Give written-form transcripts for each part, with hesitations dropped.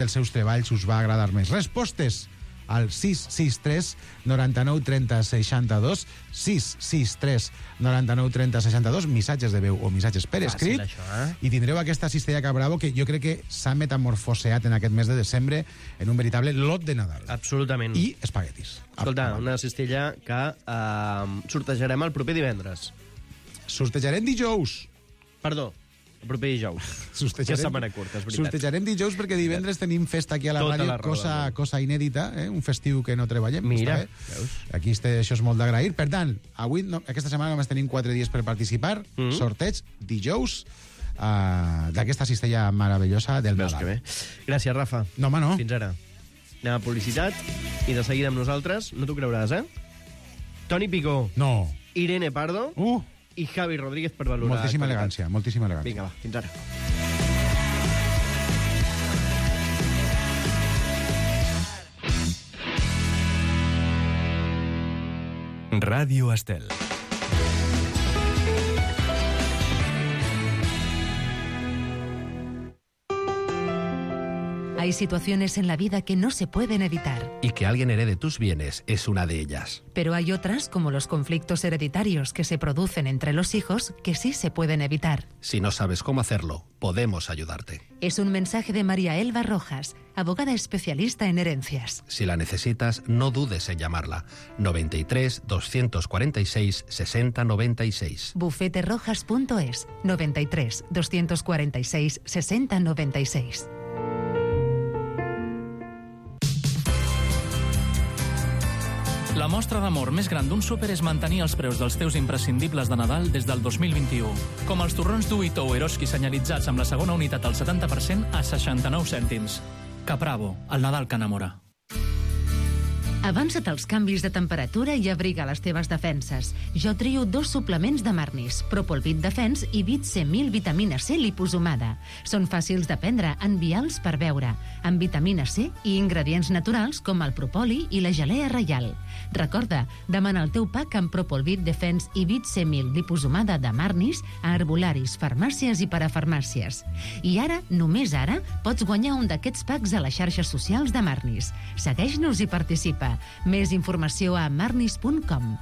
dels seus treballs us va agradar més. Respostes al 663 99 30 62, 663 99 30 62, missatges de veu o missatges per escrit. Fàcil, això, I tindreu aquesta cistella Cabravo que jo crec que s'ha metamorfoseat en aquest mes de desembre en un veritable lot de Nadal. Absolutament. I espaguetis. Escolta, una cistella que sortejarem el proper divendres. Sortejarem dijous. Perdó, el proper dijous. Que setmana curta, és veritat. Sortejarem dijous perquè divendres tenim festa aquí a la Tota ràdio, la raó cosa inèdita, un festiu que no treballem. Mira, veus? Aquí això és molt d'agrair. Per tant, avui, aquesta setmana només tenim 4 dies per participar. Sorteig dijous d'aquesta cistella meravellosa del Veus Nadal. que bé. Gràcies, Rafa. No, home, no. Fins ara. Anem a publicitat i de seguida amb nosaltres, no t'ho creuràs, Toni Picó, No. Irene Pardo i Javi Rodríguez per valorar... Moltíssima elegància, moltíssima elegància. Vinga, va, fins ara. Radio Estel. Hay situaciones en la vida que no se pueden evitar, Y que alguien herede tus bienes es una de ellas. pero hay otras, como los conflictos hereditarios que se producen entre los hijos, que sí se pueden evitar. Si no sabes cómo hacerlo, podemos ayudarte. Es un mensaje de María Elba Rojas, abogada especialista en herencias. Si la necesitas, no dudes en llamarla. 93 246 60 96. Bufeterojas.es, 93 246 60 96. La mostra d'amor més gran d'un súper és mantenir els preus dels teus imprescindibles de Nadal des del 2021. Com els torrons Duito o Eroski senyalitzats amb la segona unitat al 70% a 69 cèntims. Capravo, el Nadal que enamora. Avança't als canvis de temperatura i abriga les teves defenses. Jo trio 2 suplements de Marnis, Propolvit Defens i Vit C1000 vitamina C liposomada. Són fàcils de prendre, envials per beure, amb vitamina C i ingredients naturals com el propoli i la gelea reial. Recorda, demana el teu pack amb Propolvit Defens i Vit C1000 liposomada de Marnis a herbolaris, farmàcies i parafarmàcies. I ara, només ara, pots guanyar un d'aquests packs a les xarxes socials de Marnis. Segueix-nos i participa. Més informació a marnis.com.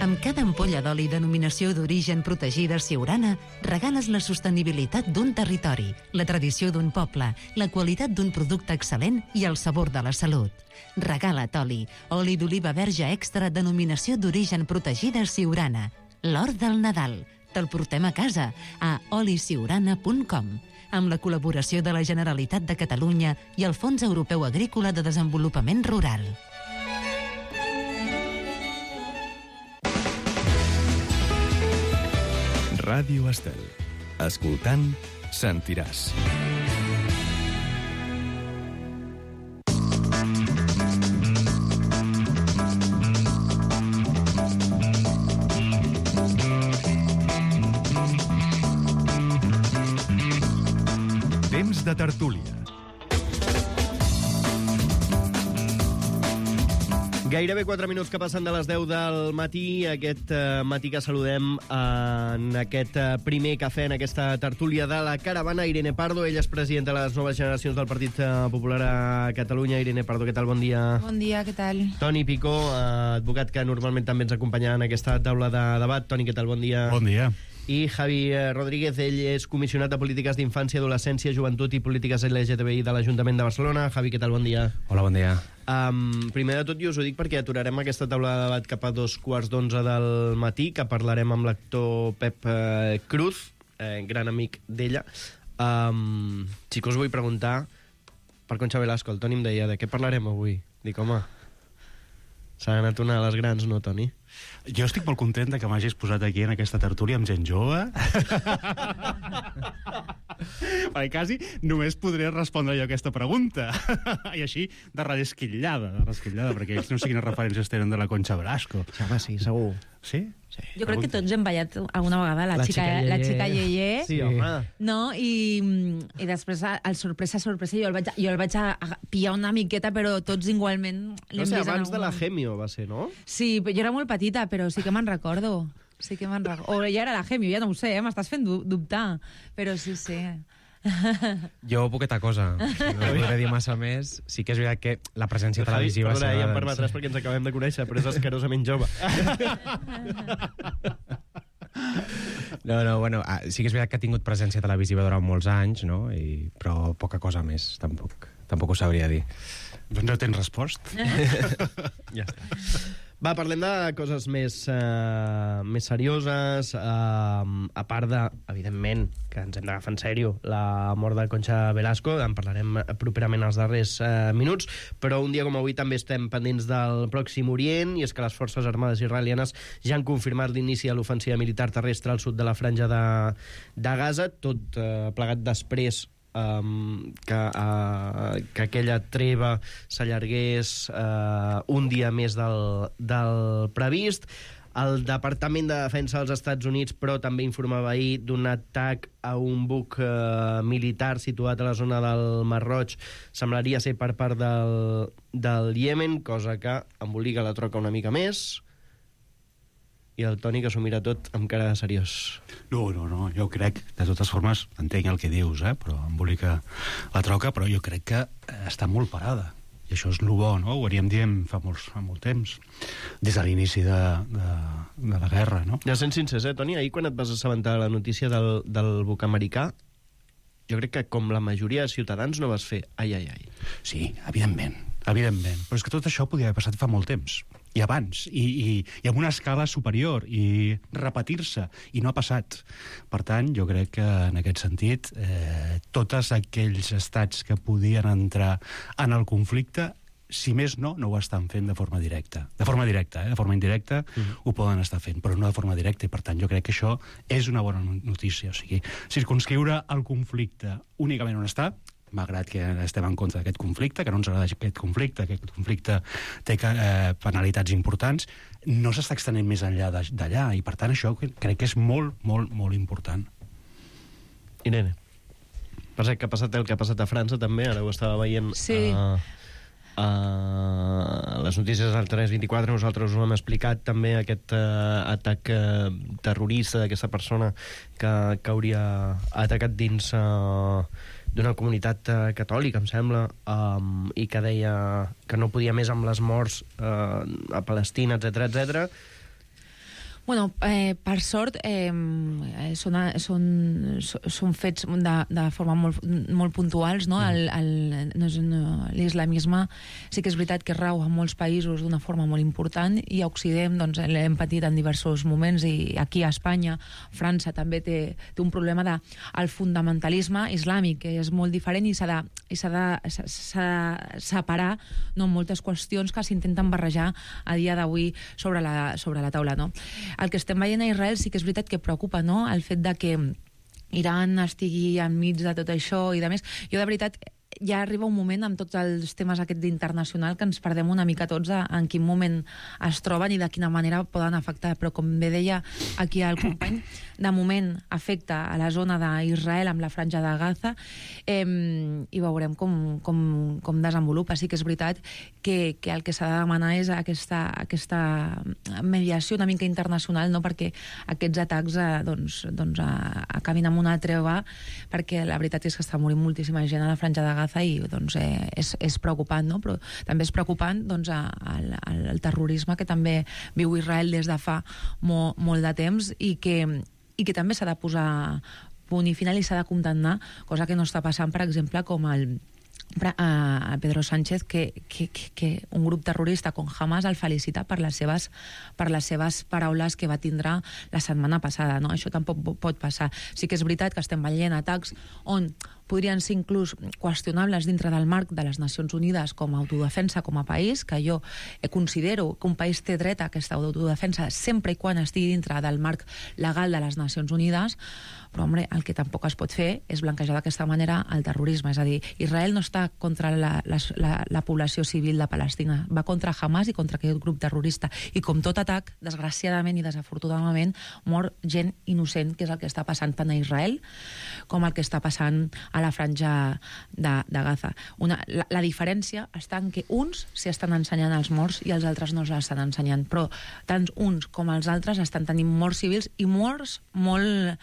Amb cada ampolla d'oli denominació d'origen protegida Siurana, regales la sostenibilitat d'un territori, la tradició d'un poble, la qualitat d'un producte excel·lent i el sabor de la salut. Regala't oli, oli d'oliva verge extra denominació d'origen protegida Siurana. L'or del Nadal. Te'l portem a casa a olisiurana.com, amb la col·laboració de la Generalitat de Catalunya i el Fons Europeu Agrícola de Desenvolupament Rural. Ràdio Estel. Escoltant, sentiràs. Temps de tertúlia. Gairebé 4 minuts que passen de les 10 del matí, aquest matí que saludem en aquest primer cafè, en aquesta tertúlia de la caravana, Irene Pardo. Ella és presidenta de les noves generacions del Partit Popular a Catalunya. Irene Pardo, què tal? Bon dia. Bon dia, què tal? Toni Picó, advocat que normalment també ens acompanya en aquesta taula de debat. Toni, què tal? Bon dia. Bon dia. I Javi Rodríguez, ell és comissionat de Polítiques d'Infància, Adolescència, Joventut i Polítiques LGTBI de l'Ajuntament de Barcelona. Javi, què tal? Bon dia. Hola, bon dia. Primer de tot, jo us ho dic perquè aturarem aquesta taula de debat cap a 2:15 del matí, que parlarem amb l'actor Pep Cruz, gran amic d'ella. Sí que us vull preguntar per Concha Velasco. El Toni em deia, de què parlarem avui? Dic, home, s'han anat una de les grans, no, Toni? Jo estic molt content que m'hagis posat aquí en aquesta tertúlia amb gent jove. Perquè quasi només podré respondre jo aquesta pregunta. I així, de redesquitllada, perquè ells no sé quines referències tenen de la Concha Velasco. Sí, home, sí, segur. Sí? Sí. Jo crec que tots hem ballat alguna vegada la xica Yeye. Sí, home. No? I després, al sorpresa, jo el vaig a pillar una miqueta, però tots igualment No sé, abans de la Gemio va ser, no? Sí, jo era molt petita, però sí que me'n recordo. Sí que me'n recordo. O ja era la Gemio, ja no ho sé, m'estàs fent dubtar. Però sí. Jo poqueta cosa. No podré dir massa més. Sí que és veritat que la presència televisiva... Perdona, ja em permetràs perquè ens acabem de conèixer, però és asquerosament jove. No, bueno, sí que és veritat que ha tingut presència televisiva durant molts anys, no? Però poca cosa més, tampoc ho sabria dir. Doncs no tens respost. Ja està. Va, parlem de coses més serioses, a part de, evidentment, que ens hem d'agafar en sèrio, la mort de Concha Velasco, en parlarem properament als darrers minuts, però un dia com avui també estem pendents del Pròxim Orient, i és que les forces armades israelianes ja han confirmat l'inici de l'ofensiva militar terrestre al sud de la franja de Gaza, tot plegat després que aquella treva s'allargués un dia més del previst. El Departament de Defensa dels Estats Units, però, també informava ahir d'un atac a un buc militar situat a la zona del Mar Roig. Semblaria ser per part del Iemen, cosa que embolica la troca una mica més. I el Toni, que s'ho mira tot amb cara de seriós. No, jo crec, de totes formes, entenc el que dius, però embolica la troca, però jo crec que està molt parada. I això és el bo, no? Ho havíem dient fa molt temps, des de l'inici de la guerra, no? Ja sent sincers, Toni, ahir quan et vas assabentar de la notícia del buc americà, jo crec que com la majoria de ciutadans no vas fer ai. Sí, evidentment. Però és que tot això podia haver passat fa molt temps. I abans, i amb una escala superior, i repetir-se, i no ha passat. Per tant, jo crec que en aquest sentit, tots aquells estats que podien entrar en el conflicte, si més no ho estan fent de forma directa. De forma indirecta ho poden estar fent, però no de forma directa, i per tant jo crec que això és una bona notícia. O sigui, circumscriure el conflicte únicament on està, malgrat que estem en contra d'aquest conflicte, que no ens agrada aquest conflicte té penalitats importants, no s'està extenent més enllà d'allà, i per tant això crec que és molt, molt, molt important. Irene, passa que ha passat el que ha passat a França també, ara ho estava veient a les notícies del 324, nosaltres us hem explicat també aquest atac terrorista d'aquesta persona que hauria atacat dins d'una comunitat catòlica, em sembla, i que deia que no podia més amb les morts a Palestina, etc. Bueno, per sort, són fets de forma molt puntuals, no? L'islamisme sí que és veritat que rau en molts països d'una forma molt important, i a Occident l'hem patit en diversos moments, i aquí a Espanya, França també té un problema del fundamentalisme islàmic, que és molt diferent, i s'ha de separar moltes qüestions que s'intenten barrejar a dia d'avui sobre la taula, no? El que estem veient a Israel sí que és veritat que preocupa, no?, el fet de que Iran estigui enmig de tot això i de més. Jo, de veritat, ja arriba un moment amb tots els temes aquests internacional que ens perdem una mica tots en quin moment es troben i de quina manera poden afectar, però com bé deia aquí el company, de moment afecta a la zona d'Israel amb la franja de Gaza, i veurem com desenvolupa. Sí que és veritat que el que s'ha de demanar és aquesta mediació una mica internacional, no?, perquè aquests atacs acabin amb una treva, perquè la veritat és que està morint moltíssima gent a la franja de Gaza, i és preocupant, no? Però també és preocupant el terrorisme que també viu Israel des de fa molt de temps, i que també s'ha de posar punt i final i s'ha de condemnar, cosa que no està passant, per exemple, com a Pedro Sánchez, que un grup terrorista com Hamas el felicita per les seves paraules que va tindre la setmana passada, no? Això tampoc pot passar. Sí que és veritat que estem veient atacs on podrien ser inclús qüestionables dintre del marc de les Nacions Unides com a autodefensa com a país, que jo considero que un país té dret a aquesta autodefensa sempre i quan estigui dintre del marc legal de les Nacions Unides, però, home, el que tampoc es pot fer és blanquejar d'aquesta manera el terrorisme. És a dir, Israel no està atac contra la població civil de Palestina. Va contra Hamas i contra aquest grup terrorista. I com tot atac, desgraciadament i desafortunadament, mor gent innocent, que és el que està passant tant a Israel com el que està passant a la franja de Gaza. La diferència està en que uns s'hi estan ensenyant els morts i els altres no s'estan ensenyant, però tant uns com els altres estan tenint morts civils i morts molt,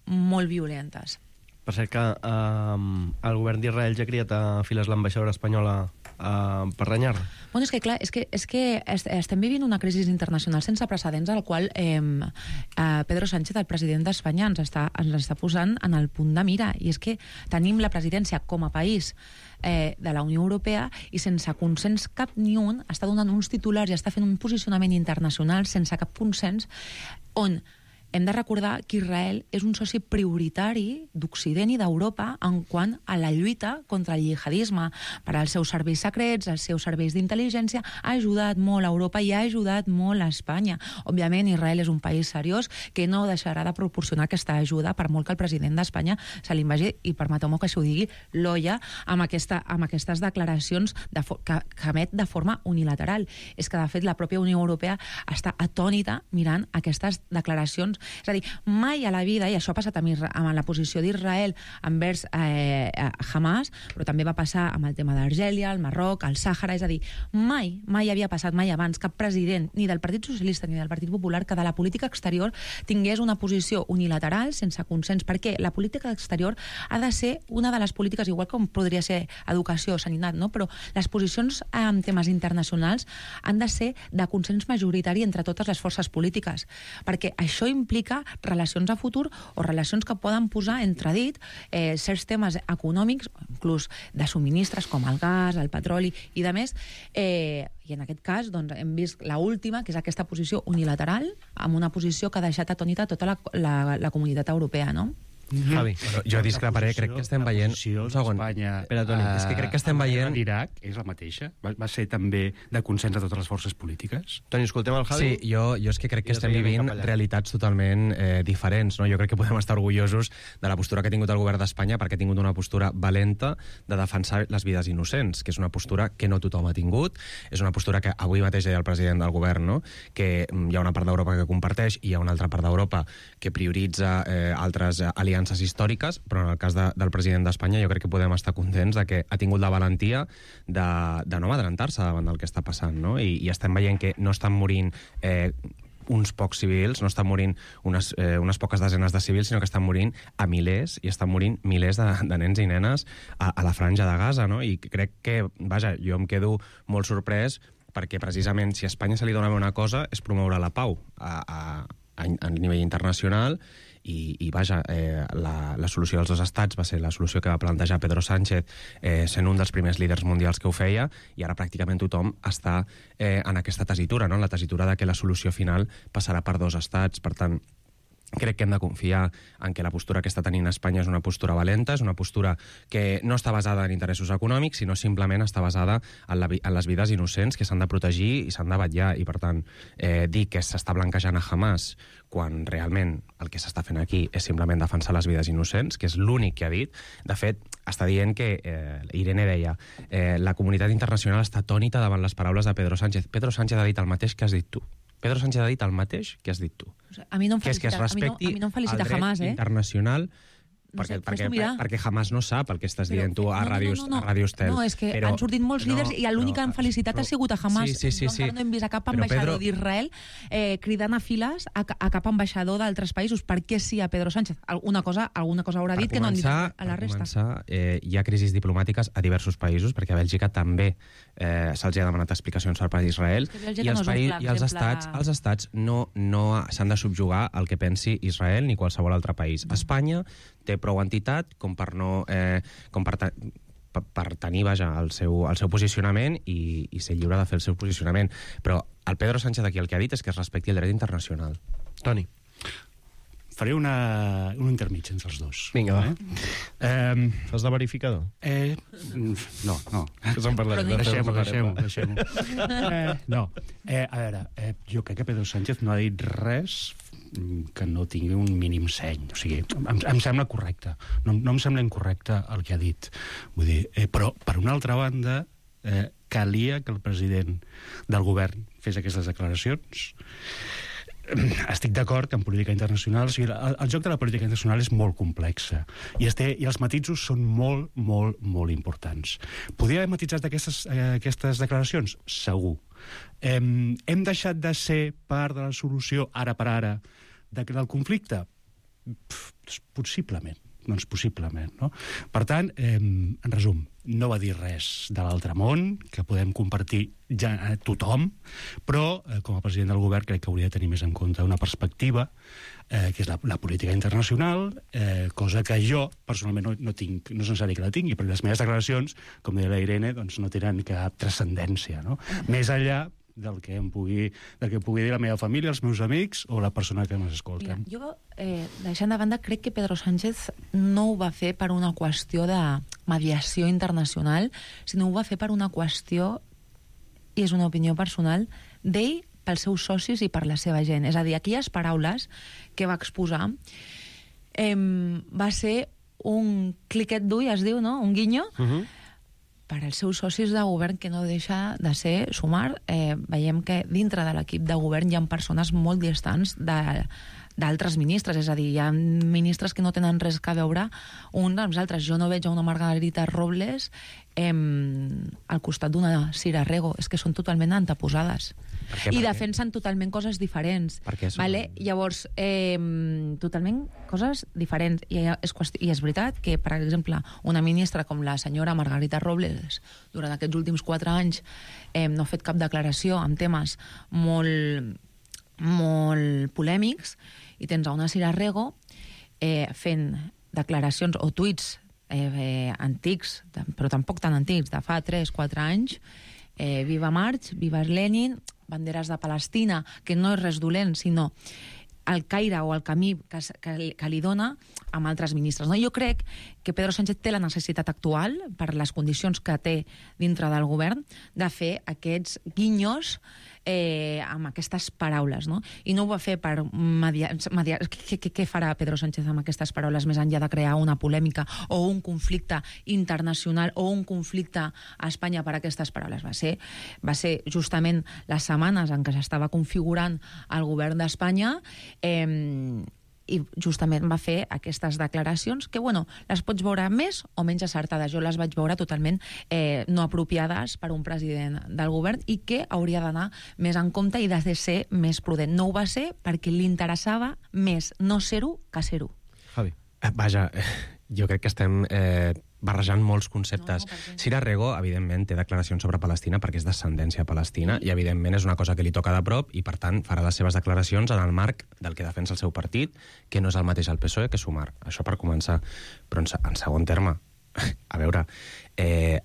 molt violentes. Per cert que el govern d'Israel ja ha criat a files l'ambaixadora espanyola per renyar. Bueno, és que clar, és que estem vivint una crisi internacional sense precedents al qual Pedro Sánchez, el president d'Espanya, ens està posant en el punt de mira, i és que tenim la presidència com a país de la Unió Europea i sense consens cap ni un està donant uns titulars i està fent un posicionament internacional sense cap consens, on hem de recordar que Israel és un soci prioritari d'Occident i d'Europa en quant a la lluita contra el jihadisme. Per als seus serveis secrets, els seus serveis d'intel·ligència, ha ajudat molt a Europa i ha ajudat molt a Espanya. Òbviament, Israel és un país seriós que no deixarà de proporcionar aquesta ajuda, per molt que el president d'Espanya se li vagi, i permeteu-me que això ho digui, l'olla amb aquestes declaracions que emet de forma unilateral. És que, de fet, la pròpia Unió Europea està atònita mirant aquestes declaracions. És a dir, mai a la vida, i això ha passat amb la posició d'Israel envers Hamas, però també va passar amb el tema d'Argèlia, el Marroc, el Sàhara, és a dir, mai havia passat, mai abans, cap president, ni del Partit Socialista ni del Partit Popular, que de la política exterior tingués una posició unilateral, sense consens, perquè la política exterior ha de ser una de les polítiques, igual com podria ser educació o sanitat, no? Però les posicions en temes internacionals han de ser de consens majoritari entre totes les forces polítiques, perquè això implica relacions a futur o relacions que poden posar entredit certs temes econòmics, inclús de subministres com el gas, el petroli i de més, i en aquest cas doncs, hem vist l'última, que és aquesta posició unilateral, amb una posició que ha deixat atònita tota la comunitat europea, no? Javi. Jo discreparé, crec que estem veient... Un segon. Espera, Toni. És que crec que estem veient... L'Iraq és la mateixa? Va ser també de consens de totes les forces polítiques? Toni, escoltem el Javi? Sí, jo és que crec que estem vivint realitats totalment diferents, no? Jo crec que podem estar orgullosos de la postura que ha tingut el govern d'Espanya, perquè ha tingut una postura valenta de defensar les vides innocents, que és una postura que no tothom ha tingut, és una postura que avui mateix deia el president del govern, no? Que hi ha una part d'Europa que comparteix i hi ha una altra part d'Europa que prioritza altres aliances històriques, però en el cas del president d'Espanya jo crec que podem estar contents de que ha tingut la valentia de no adelantar-se davant del que està passant, no? I estem veient que no estan morint uns pocs civils, no estan morint unes poques desenes de civils, sinó que estan morint a milers, i estan morint milers de nens i nenes a la franja de Gaza, no? I crec que, vaja, jo em quedo molt sorprès perquè precisament si a Espanya se li dona una cosa és promoure la pau a nivell internacional. I vaja, la solució dels dos estats va ser la solució que va plantejar Pedro Sánchez sent un dels primers líders mundials que ho feia, i ara pràcticament tothom està en aquesta tessitura, no? En la tessitura de que la solució final passarà per dos estats. Per tant, crec que hem de confiar en que la postura que està tenint Espanya és una postura valenta, és una postura que no està basada en interessos econòmics, sinó simplement està basada en les vides innocents que s'han de protegir i s'han de vetllar. I, per tant, dir que s'està blanquejant a Hamas quan realment el que s'està fent aquí és simplement defensar les vides innocents, que és l'únic que ha dit. De fet, està dient que, Irene deia, la comunitat internacional està atònita davant les paraules de Pedro Sánchez. Pedro Sánchez ha dit el mateix que has dit tu. Pedro Sánchez ha dit el mateix que has dit tu. A mi no em felicita, que es respecti a mi no em felicita el dret Hamas, internacional, no sé, perquè Hamas no sap el que estàs dient tu a Ràdio Estel. No, és que han sortit molts líders i l'únic que han felicitat ha sigut a Hamas. Sí. No hem vist a cap ambaixador d'Israel cridant a files a cap ambaixador d'altres països. Per què sí a Pedro Sánchez? Alguna cosa haurà dit que no han dit a la resta. Per començar, hi ha crisis diplomàtiques a diversos països, perquè a Bèlgica també se'ls ha demanat explicacions per part d'Israel, i els estats no s'han de subjugar al que pensi Israel ni qualsevol altre país. Espanya té prou entitat com per tenir, vaja, el seu posicionament i ser lliure de fer el seu posicionament. Però el Pedro Sánchez aquí el que ha dit és que es respecti el dret internacional. Toni. Faré un intermig entre els dos. Vinga, va. Fas de verificador? No. Deixem-ho. No. A veure, jo crec que Pedro Sánchez no ha dit res que no tingui un mínim seny. O sigui, em sembla correcte. No em sembla incorrecte el que ha dit. Vull dir, però, per una altra banda, calia que el president del govern fes aquestes declaracions. Estic d'acord que en política internacional, o sigui, el joc de la política internacional és molt complexa i els matisos són molt, molt, molt importants. Podria haver matitzat aquestes declaracions? Segur. Hem deixat de ser part de la solució, ara per ara, del conflicte? Possiblement. Doncs possiblement, no? Per tant, en resum, no va dir res de l'altre món, que podem compartir ja a tothom, però com a president del govern crec que hauria de tenir més en compte una perspectiva, que és la política internacional, cosa que jo personalment no tinc, no és necessari que la tingui, perquè les meves declaracions, com deia la Irene, doncs no tenen cap transcendència, no? Més enllà del que pugui dir la meva família, els meus amics o la persona que m'escolta. Mira, jo, deixant de banda, crec que Pedro Sánchez no ho va fer per una qüestió de mediació internacional, sinó ho va fer per una qüestió, i és una opinió personal, d'ell, pels seus socis i per la seva gent. És a dir, aquelles paraules que va exposar va ser un cliquet d'ull, es diu, no? Un guinyo, per als seus socis de govern, que no deixa de ser sumar. Veiem que dintre de l'equip de govern hi ha persones molt distants d'altres ministres, és a dir, hi ha ministres que no tenen res a veure uns amb els altres. Jo no veig a una Margarita Robles al costat d'una Cira Rego, és que són totalment anteposades. I defensen totalment coses diferents. Vale? Llavors, totalment coses diferents. I és veritat que, per exemple, una ministra com la senyora Margarita Robles, durant aquests últims 4 anys, no ha fet cap declaració en temes molt polèmics, i tens a una Cira Rego fent declaracions o tuits antics, però tampoc tan antics, de fa 3-4 anys, viva Marx, viva Lenin, banderes de Palestina, que no és res dolent, sinó el caire o el camí que li dona amb altres ministres. Jo crec que Pedro Sánchez té la necessitat actual, per les condicions que té dintre del govern, de fer aquests guinyos amb aquestes paraules, no? I no ho va fer per mediar. Què farà Pedro Sánchez amb aquestes paraules, més enllà de crear una polèmica o un conflicte internacional o un conflicte a Espanya per aquestes paraules? Va ser justament les setmanes en què s'estava configurant el govern d'Espanya, i justament va fer aquestes declaracions que, les pots veure més o menys acertades. Jo les vaig veure totalment no apropiades per un president del govern i que hauria d'anar més en compte i de ser més prudent. No ho va ser perquè li interessava més no ser-ho que ser-ho. Javi. Vaja, jo crec que estem barrejant molts conceptes. Cira Rego, evidentment, té declaracions sobre Palestina perquè és d'ascendència palestina i, evidentment, és una cosa que li toca de prop i, per tant, farà les seves declaracions en el marc del que defensa el seu partit, que no és el mateix al PSOE que Sumar. Això per començar. Però, en segon terme, a veure,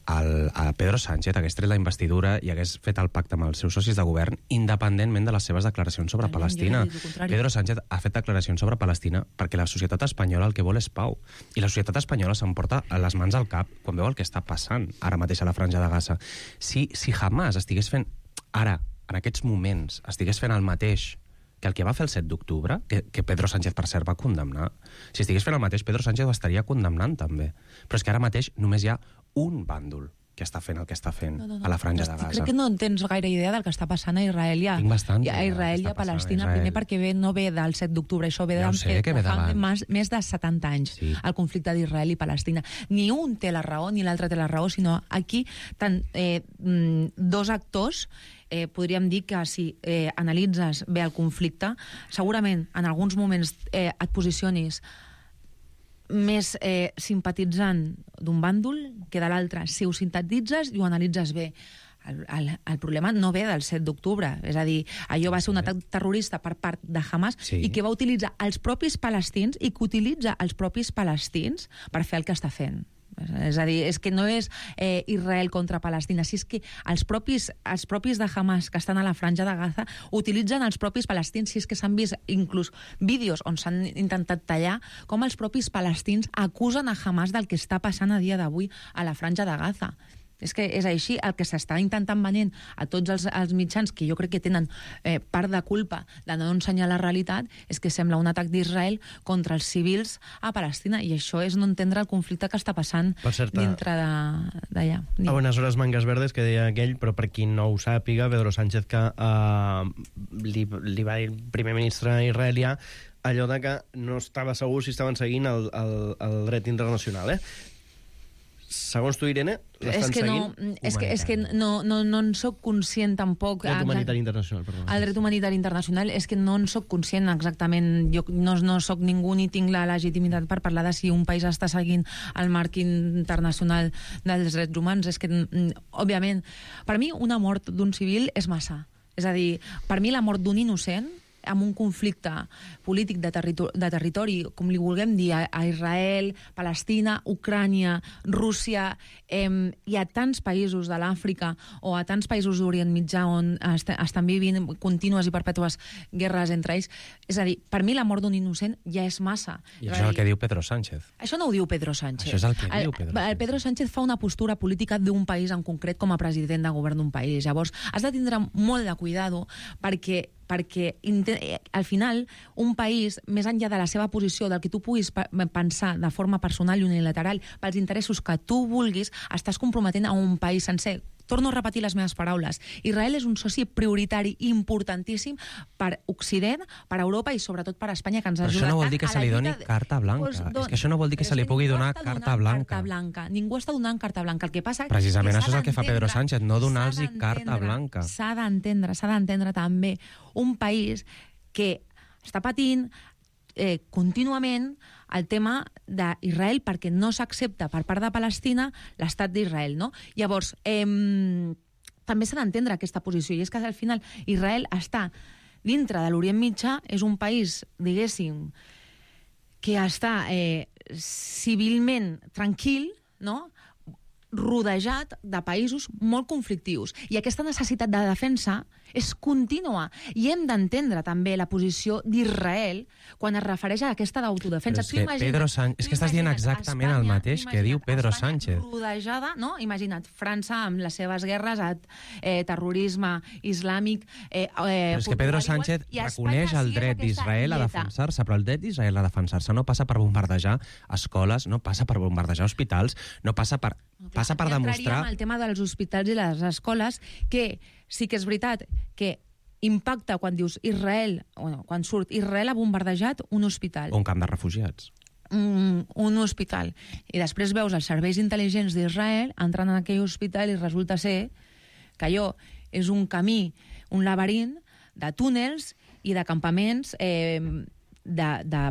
a Pedro Sánchez hagués tret la investidura i hagués fet el pacte amb els seus socis de govern independentment de les seves declaracions sobre Palestina. Pedro Sánchez ha fet declaracions sobre Palestina perquè la societat espanyola el que vol és pau. I la societat espanyola s'emporta les mans al cap quan veu el que està passant ara mateix a la Franja de Gaza. Si Hamas estigués fent, ara, en aquests moments, estigués fent el mateix que el que va fer el 7 d'octubre, que Pedro Sánchez, per cert, va condemnar, si estigués fent el mateix, Pedro Sánchez ho estaria condemnant, també. Però és que ara mateix només hi ha un bàndol que està fent el que està fent a la Franja de Gaza. Crec que no tens gaire idea del que està passant a Israel i a Palestina. Primer perquè no ve del 7 d'octubre, això ve de més de 70 anys, el conflicte d'Israel i Palestina. Ni un té la raó, ni l'altre té la raó, sinó aquí dos actors. Podríem dir que si analitzes bé el conflicte, segurament en alguns moments et posicionis més simpatitzant d'un bàndol que de l'altre. Si ho sintetitzes i ho analitzes bé, el problema no ve del 7 d'octubre. És a dir, allò va ser un atac terrorista per part de Hamas i que va utilitzar els propis palestins i que utilitza els propis palestins per fer el que està fent. És a dir, és que no és Israel contra Palestina, si és que els propis de Hamas que estan a la Franja de Gaza utilitzen els propis palestins, si és que s'han vist inclús vídeos on s'han intentat tallar com els propis palestins acusen a Hamas del que està passant a dia d'avui a la Franja de Gaza. És que és així. El que s'està intentant venent a tots els mitjans, que jo crec que tenen part de culpa de no ensenyar la realitat, és que sembla un atac d'Israel contra els civils a Palestina, i això és no entendre el conflicte que està passant dintre d'allà. A bones hores mangas verdes, que deia aquell, però per qui no ho sàpiga, Pedro Sánchez, que li va dir el primer ministre israelià allò de que no estava segur si estaven seguint el dret internacional, Segons tu, Irene, l'estan seguint? És que no en soc conscient tampoc. El dret humanitari internacional, perdó. El dret humanitari internacional és que no en soc conscient exactament. Jo no soc ningú ni tinc la legitimitat per parlar de si un país està seguint el marc internacional dels drets humans. És que, òbviament, per mi una mort d'un civil és massa. És a dir, per mi la mort d'un innocent amb un conflicte polític de territori, com li vulguem dir, a Israel, Palestina, Ucrània, Rússia, hi ha tants països de l'Àfrica o a tants països d'Orient Mitjà on estan vivint contínues i perpètues guerres entre ells. És a dir, per mi la mort d'un innocent ja és massa. I això és el que diu Pedro Sánchez. Això no ho diu Pedro Sánchez. Això és el que diu Pedro Sánchez. Pedro Sánchez fa una postura política d'un país en concret com a president de govern d'un país. Llavors, has de tindre molt de cuidado perquè al final un país, més enllà de la seva posició, del que tu puguis pensar de forma personal i unilateral, pels interessos que tu vulguis, estàs comprometent a un país sencer. Torno a repetir les meves paraules. Israel és un soci prioritari importantíssim per Occident, per Europa i sobretot per Espanya, que ens ajuda. Però això no vol dir que se li doni carta blanca. És que això no vol dir que se li pugui donar carta blanca. Ningú està donant carta blanca. El que passa precisament això és el que fa Pedro Sánchez, no donar-los carta blanca. S'ha d'entendre també un país que està patint contínuament el tema d'Israel perquè no s'accepta per part de Palestina l'estat d'Israel, no? Llavors, també s'ha d'entendre aquesta posició, i és que al final Israel està dintre de l'Orient Mitjà, és un país, diguéssim, que està civilment tranquil, no?, rodejat de països molt conflictius. I aquesta necessitat de defensa és contínua. I hem d'entendre també la posició d'Israel quan es refereix a aquesta d'autodefensa. Però és que estàs dient exactament el mateix que diu Pedro Sánchez. Rodejada, no? Imagina't, França amb les seves guerres, terrorisme islàmic... Però és que Pedro Sánchez reconeix el dret d'Israel a defensar-se, però el dret d'Israel a defensar-se no passa per bombardejar escoles, no passa per bombardejar hospitals, no passa per demostrar... El tema dels hospitals i les escoles, que sí que és veritat que impacta quan dius Israel, quan surt Israel ha bombardejat un hospital. Un camp de refugiats. Un hospital. I després veus els serveis intel·ligents d'Israel entrant en aquell hospital i resulta ser que allò és un camí, un laberint de túnels i de campaments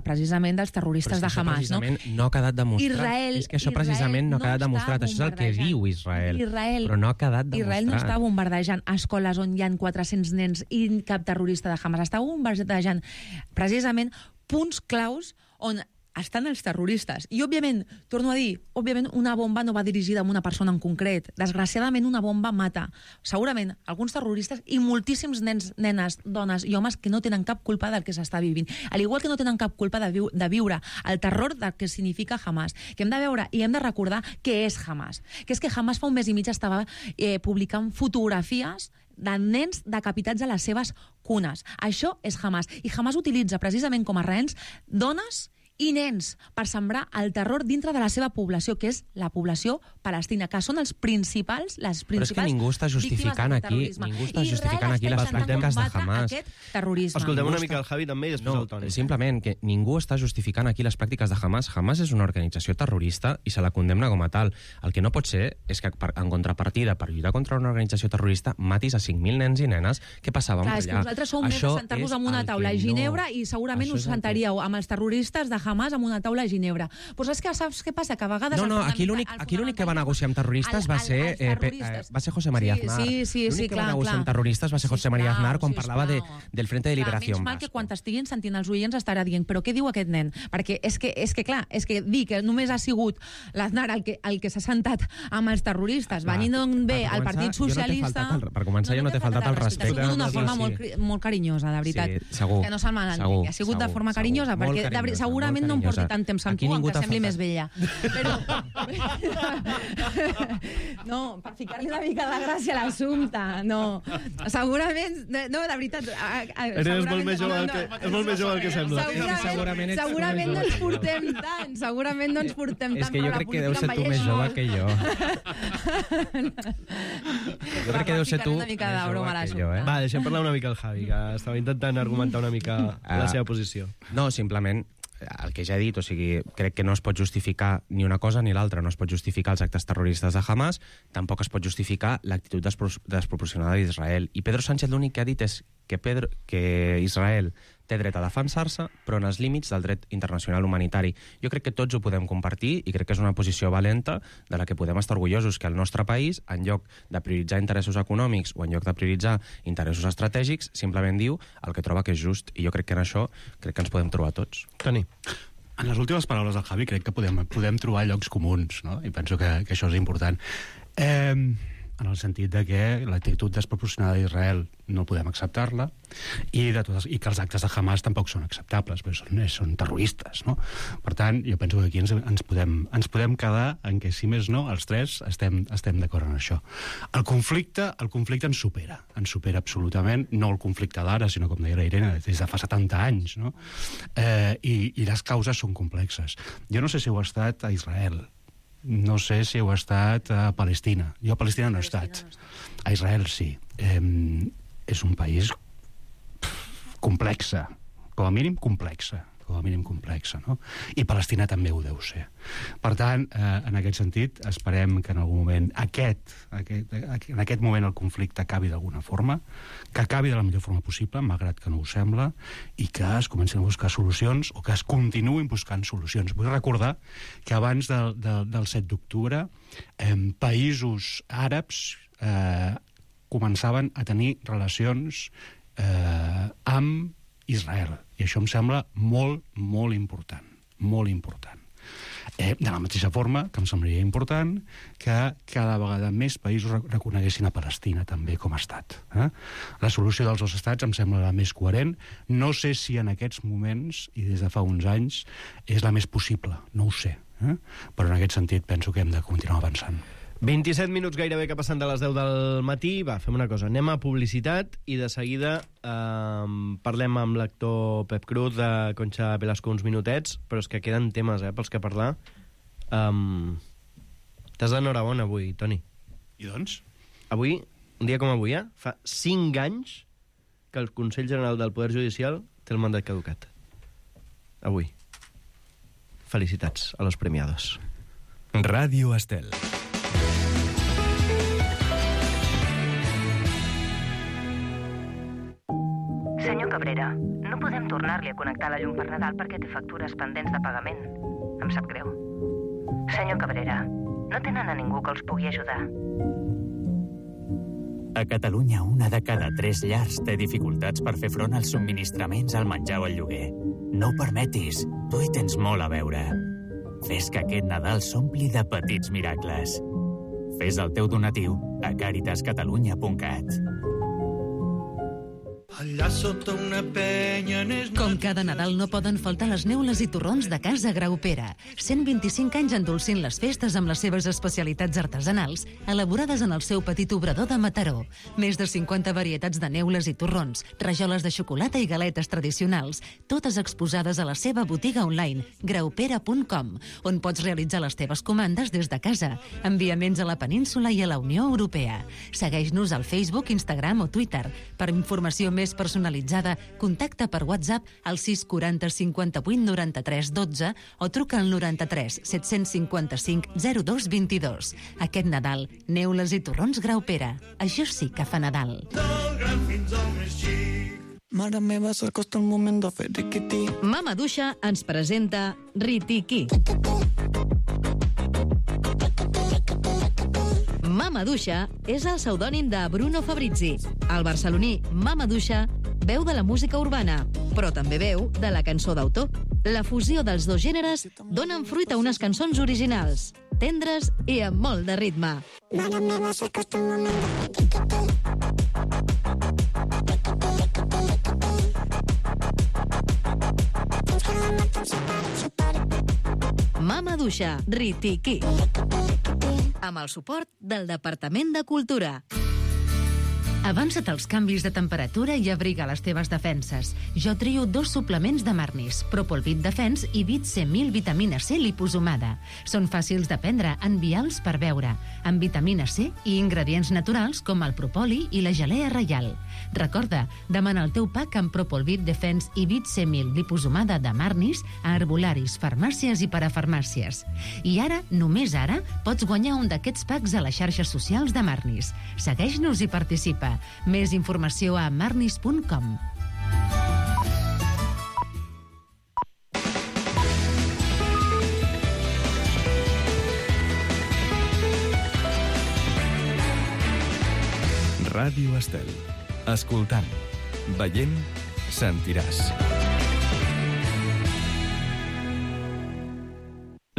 precisament dels terroristes de Hamas. No ha quedat demostrat. És que això precisament no ha quedat demostrat. Això és el que diu Israel. Però no ha quedat demostrat. Israel no està bombardejant escoles on hi ha 400 nens i cap terrorista de Hamas. Està bombardejant precisament punts claus on estan els terroristes. I, òbviament, torno a dir, una bomba no va dirigida a una persona en concret. Desgraciadament, una bomba mata, segurament, alguns terroristes i moltíssims nens, nenes, dones i homes que no tenen cap culpa del que s'està vivint. Al igual que no tenen cap culpa de viure el terror del que significa Hamas. Que hem de veure i hem de recordar què és Hamas. Que és que Hamas fa un mes i mig estava publicant fotografies de nens decapitats a les seves cunes. Això és Hamas. I Hamas utilitza precisament com a rehens dones i nens per sembrar el terror dintre de la seva població, que és la població palestina, que són les principals Però és que ningú està justificant aquí les pràctiques de Hamas. Escoltem una mica el Javi també i després el Toni. Simplement que ningú està justificant aquí les pràctiques de Hamas. Hamas és una organització terrorista i se la condemna com a tal. El que no pot ser és que en contrapartida, per lluitar contra una organització terrorista, matis a 5.000 nens i nenes que passaven per allà. És que nosaltres som més de sentar-vos en una taula a Ginebra i segurament us sentaríeu amb els terroristes de Hamas amb una taula a Ginebra. Però saps què passa? Que a vegades... Aquí l'únic que va negociar amb terroristes va ser José María Aznar. Sí, L'únic que va negociar amb terroristes va ser José María Aznar quan parlava del Frente de Liberación Vasco. Menys mal que quan t'estiguin sentint els oients estarà dient però què diu aquest nen? Perquè és que dir que només ha sigut l'Aznar el que s'ha sentat amb els terroristes venint d'on ve el Partit Socialista... Per començar, jo no t'he faltat el respecte. Ha sigut d'una forma molt carinyosa, de veritat. Sí, segur. Que no se'l malentengui. Ha sigut de forma carinyosa, perquè segurament segurament no em porti tant temps amb tu, que sembli més vella. Però... No, per ficar-li una mica de gràcia a l'assumpte, no. Segurament... No, de veritat... És molt més jove que sembla. Segurament no ens portem tant, segurament no ens portem tant. És que jo crec que deu ser tu més jove que jo. Jo crec que deu ser tu més jove que jo, eh? Va, deixem parlar una mica el Javi, que estava intentant argumentar una mica la seva posició. No, simplement el que ja he dit, o sigui, crec que no es pot justificar ni una cosa ni l'altra, no es pot justificar els actes terroristes de Hamas, tampoc es pot justificar l'actitud desproporcionada d'Israel. I Pedro Sánchez l'únic que ha dit és que Israel té dret a defensar-se, però en els límits del dret internacional humanitari. Jo crec que tots ho podem compartir i crec que és una posició valenta de la que podem estar orgullosos, que el nostre país, en lloc de prioritzar interessos econòmics o en lloc de prioritzar interessos estratègics, simplement diu el que troba que és just. I jo crec que en això crec que ens podem trobar tots. Toni. En les últimes paraules del Javi crec que podem trobar llocs comuns, no? I penso que això és important. En el sentit de que l'actitud desproporcionada d'Israel no podem acceptar-la i que els actes de Hamas tampoc són acceptables, perquè són terroristes, no? Per tant, jo penso que aquí ens podem quedar en que, si més no, els tres estem d'acord en això. El conflicte ens supera absolutament, no el conflicte d'ara, sinó, com deia la Irene, des de fa 70 anys, no? I les causes són complexes. Jo no sé si heu estat a Israel, no sé si heu estat a Palestina. Jo a Palestina no he estat. A Israel sí. És un país complexa, com a mínim complexa, no? I Palestina també ho deu ser. Per tant, en aquest sentit, esperem que en algun moment en aquest moment el conflicte acabi d'alguna forma, que acabi de la millor forma possible, malgrat que no ho sembla, i que es comencin a buscar solucions, o que es continuïn buscant solucions. Vull recordar que abans del 7 d'octubre, països àrabs començaven a tenir relacions amb Israel. I això em sembla molt, molt important. Molt important. De la mateixa forma que em semblaria important que cada vegada més països reconeguessin a Palestina també com a estat. La solució dels dos estats em sembla la més coherent. No sé si en aquests moments, i des de fa uns anys, és la més possible. No ho sé. Però en aquest sentit penso que hem de continuar avançant. 27 minuts gairebé que passen de les 10 del matí. Va, fem una cosa, anem a publicitat i de seguida parlem amb l'actor Pep Cruz de Concha Velasco uns minutets, però és que queden temes pels que parlar. T'has d'enhorabona avui, Toni. I doncs? Avui, un dia com avui, fa 5 anys que el Consell General del Poder Judicial té el mandat caducat. Avui. Felicitats a los premiados. Ràdio Estel. Senyor Cabrera, no podem tornar-li a connectar la llum per Nadal perquè té factures pendents de pagament. Em sap greu. Senyor Cabrera, no tenen a ningú que els pugui ajudar. A Catalunya, 1 de cada 3 llars té dificultats per fer front als subministraments, al menjar o al lloguer. No ho permetis, tu hi tens molt a veure. Fes que aquest Nadal s'ompli de petits miracles. Fes el teu donatiu a caritascatalunya.cat. Allà sota una penya... Com cada Nadal no poden faltar les neules i torrons de Casa Graupera. 125 anys endolcint les festes amb les seves especialitats artesanals, elaborades en el seu petit obrador de Mataró. Més de 50 varietats de neules i torrons, rajoles de xocolata i galetes tradicionals, totes exposades a la seva botiga online, graupera.com, on pots realitzar les teves comandes des de casa, enviaments a la península i a la Unió Europea. Segueix-nos al Facebook, Instagram o Twitter. Per informació més personalitzada, contacta per WhatsApp al 640 58 93 12 o truca al 93 755 02 22. Aquest Nadal, neules i torrons Graupera. Això sí que fa Nadal. Mare meva, s'acosta el moment de fer riquití. Mama Duixa ens presenta Ritiquí. Mama Duixa és el pseudònim de Bruno Fabrizi. El barceloní Mama Duixa veu de la música urbana, però també veu de la cançó d'autor. La fusió dels dos gèneres donen fruit a unes cançons originals, tendres i amb molt de ritme. Mare meva, s'acosta el moment de fer riquití. Mama Duixa, Ritiquí. Amb el suport del Departament de Cultura. Avança't als canvis de temperatura i abriga les teves defenses. Jo trio 2 suplements de Marnis, Propolvit Defens i Vit C1000 vitamina C liposomada. Són fàcils de prendre, envials per beure, amb vitamina C i ingredients naturals com el propoli i la gelea reial. Recorda, demana el teu pack amb Propolvit Defens i Vit C1000 liposomada de Marnis a herbolaris, farmàcies i parafarmàcies. I ara, només ara, pots guanyar un d'aquests packs a les xarxes socials de Marnis. Segueix-nos i participa. Més informació a marnis.com. Ràdio Estel. Escoltant, veient, sentiràs.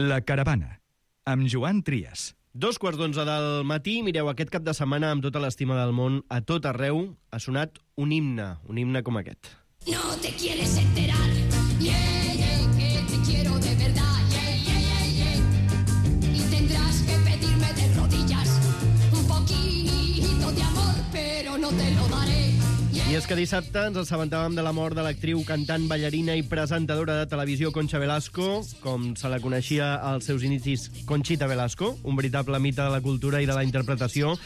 La caravana, amb Joan Trias. 2:15 del matí, mireu, aquest cap de setmana, amb tota l'estima del món, a tot arreu, ha sonat un himne com aquest. No te quieres enterar, yeah, yeah, que te quiero de verdad, yeah, yeah, yeah, yeah. Y tendrás que pedirme de rodillas un poquito de amor, pero no te lo daré. I és que dissabte ens assabentàvem de la mort de l'actriu, cantant, ballarina i presentadora de televisió Concha Velasco, com se la coneixia als seus inicis, Conchita Velasco, un veritable mite de la cultura i de la interpretació.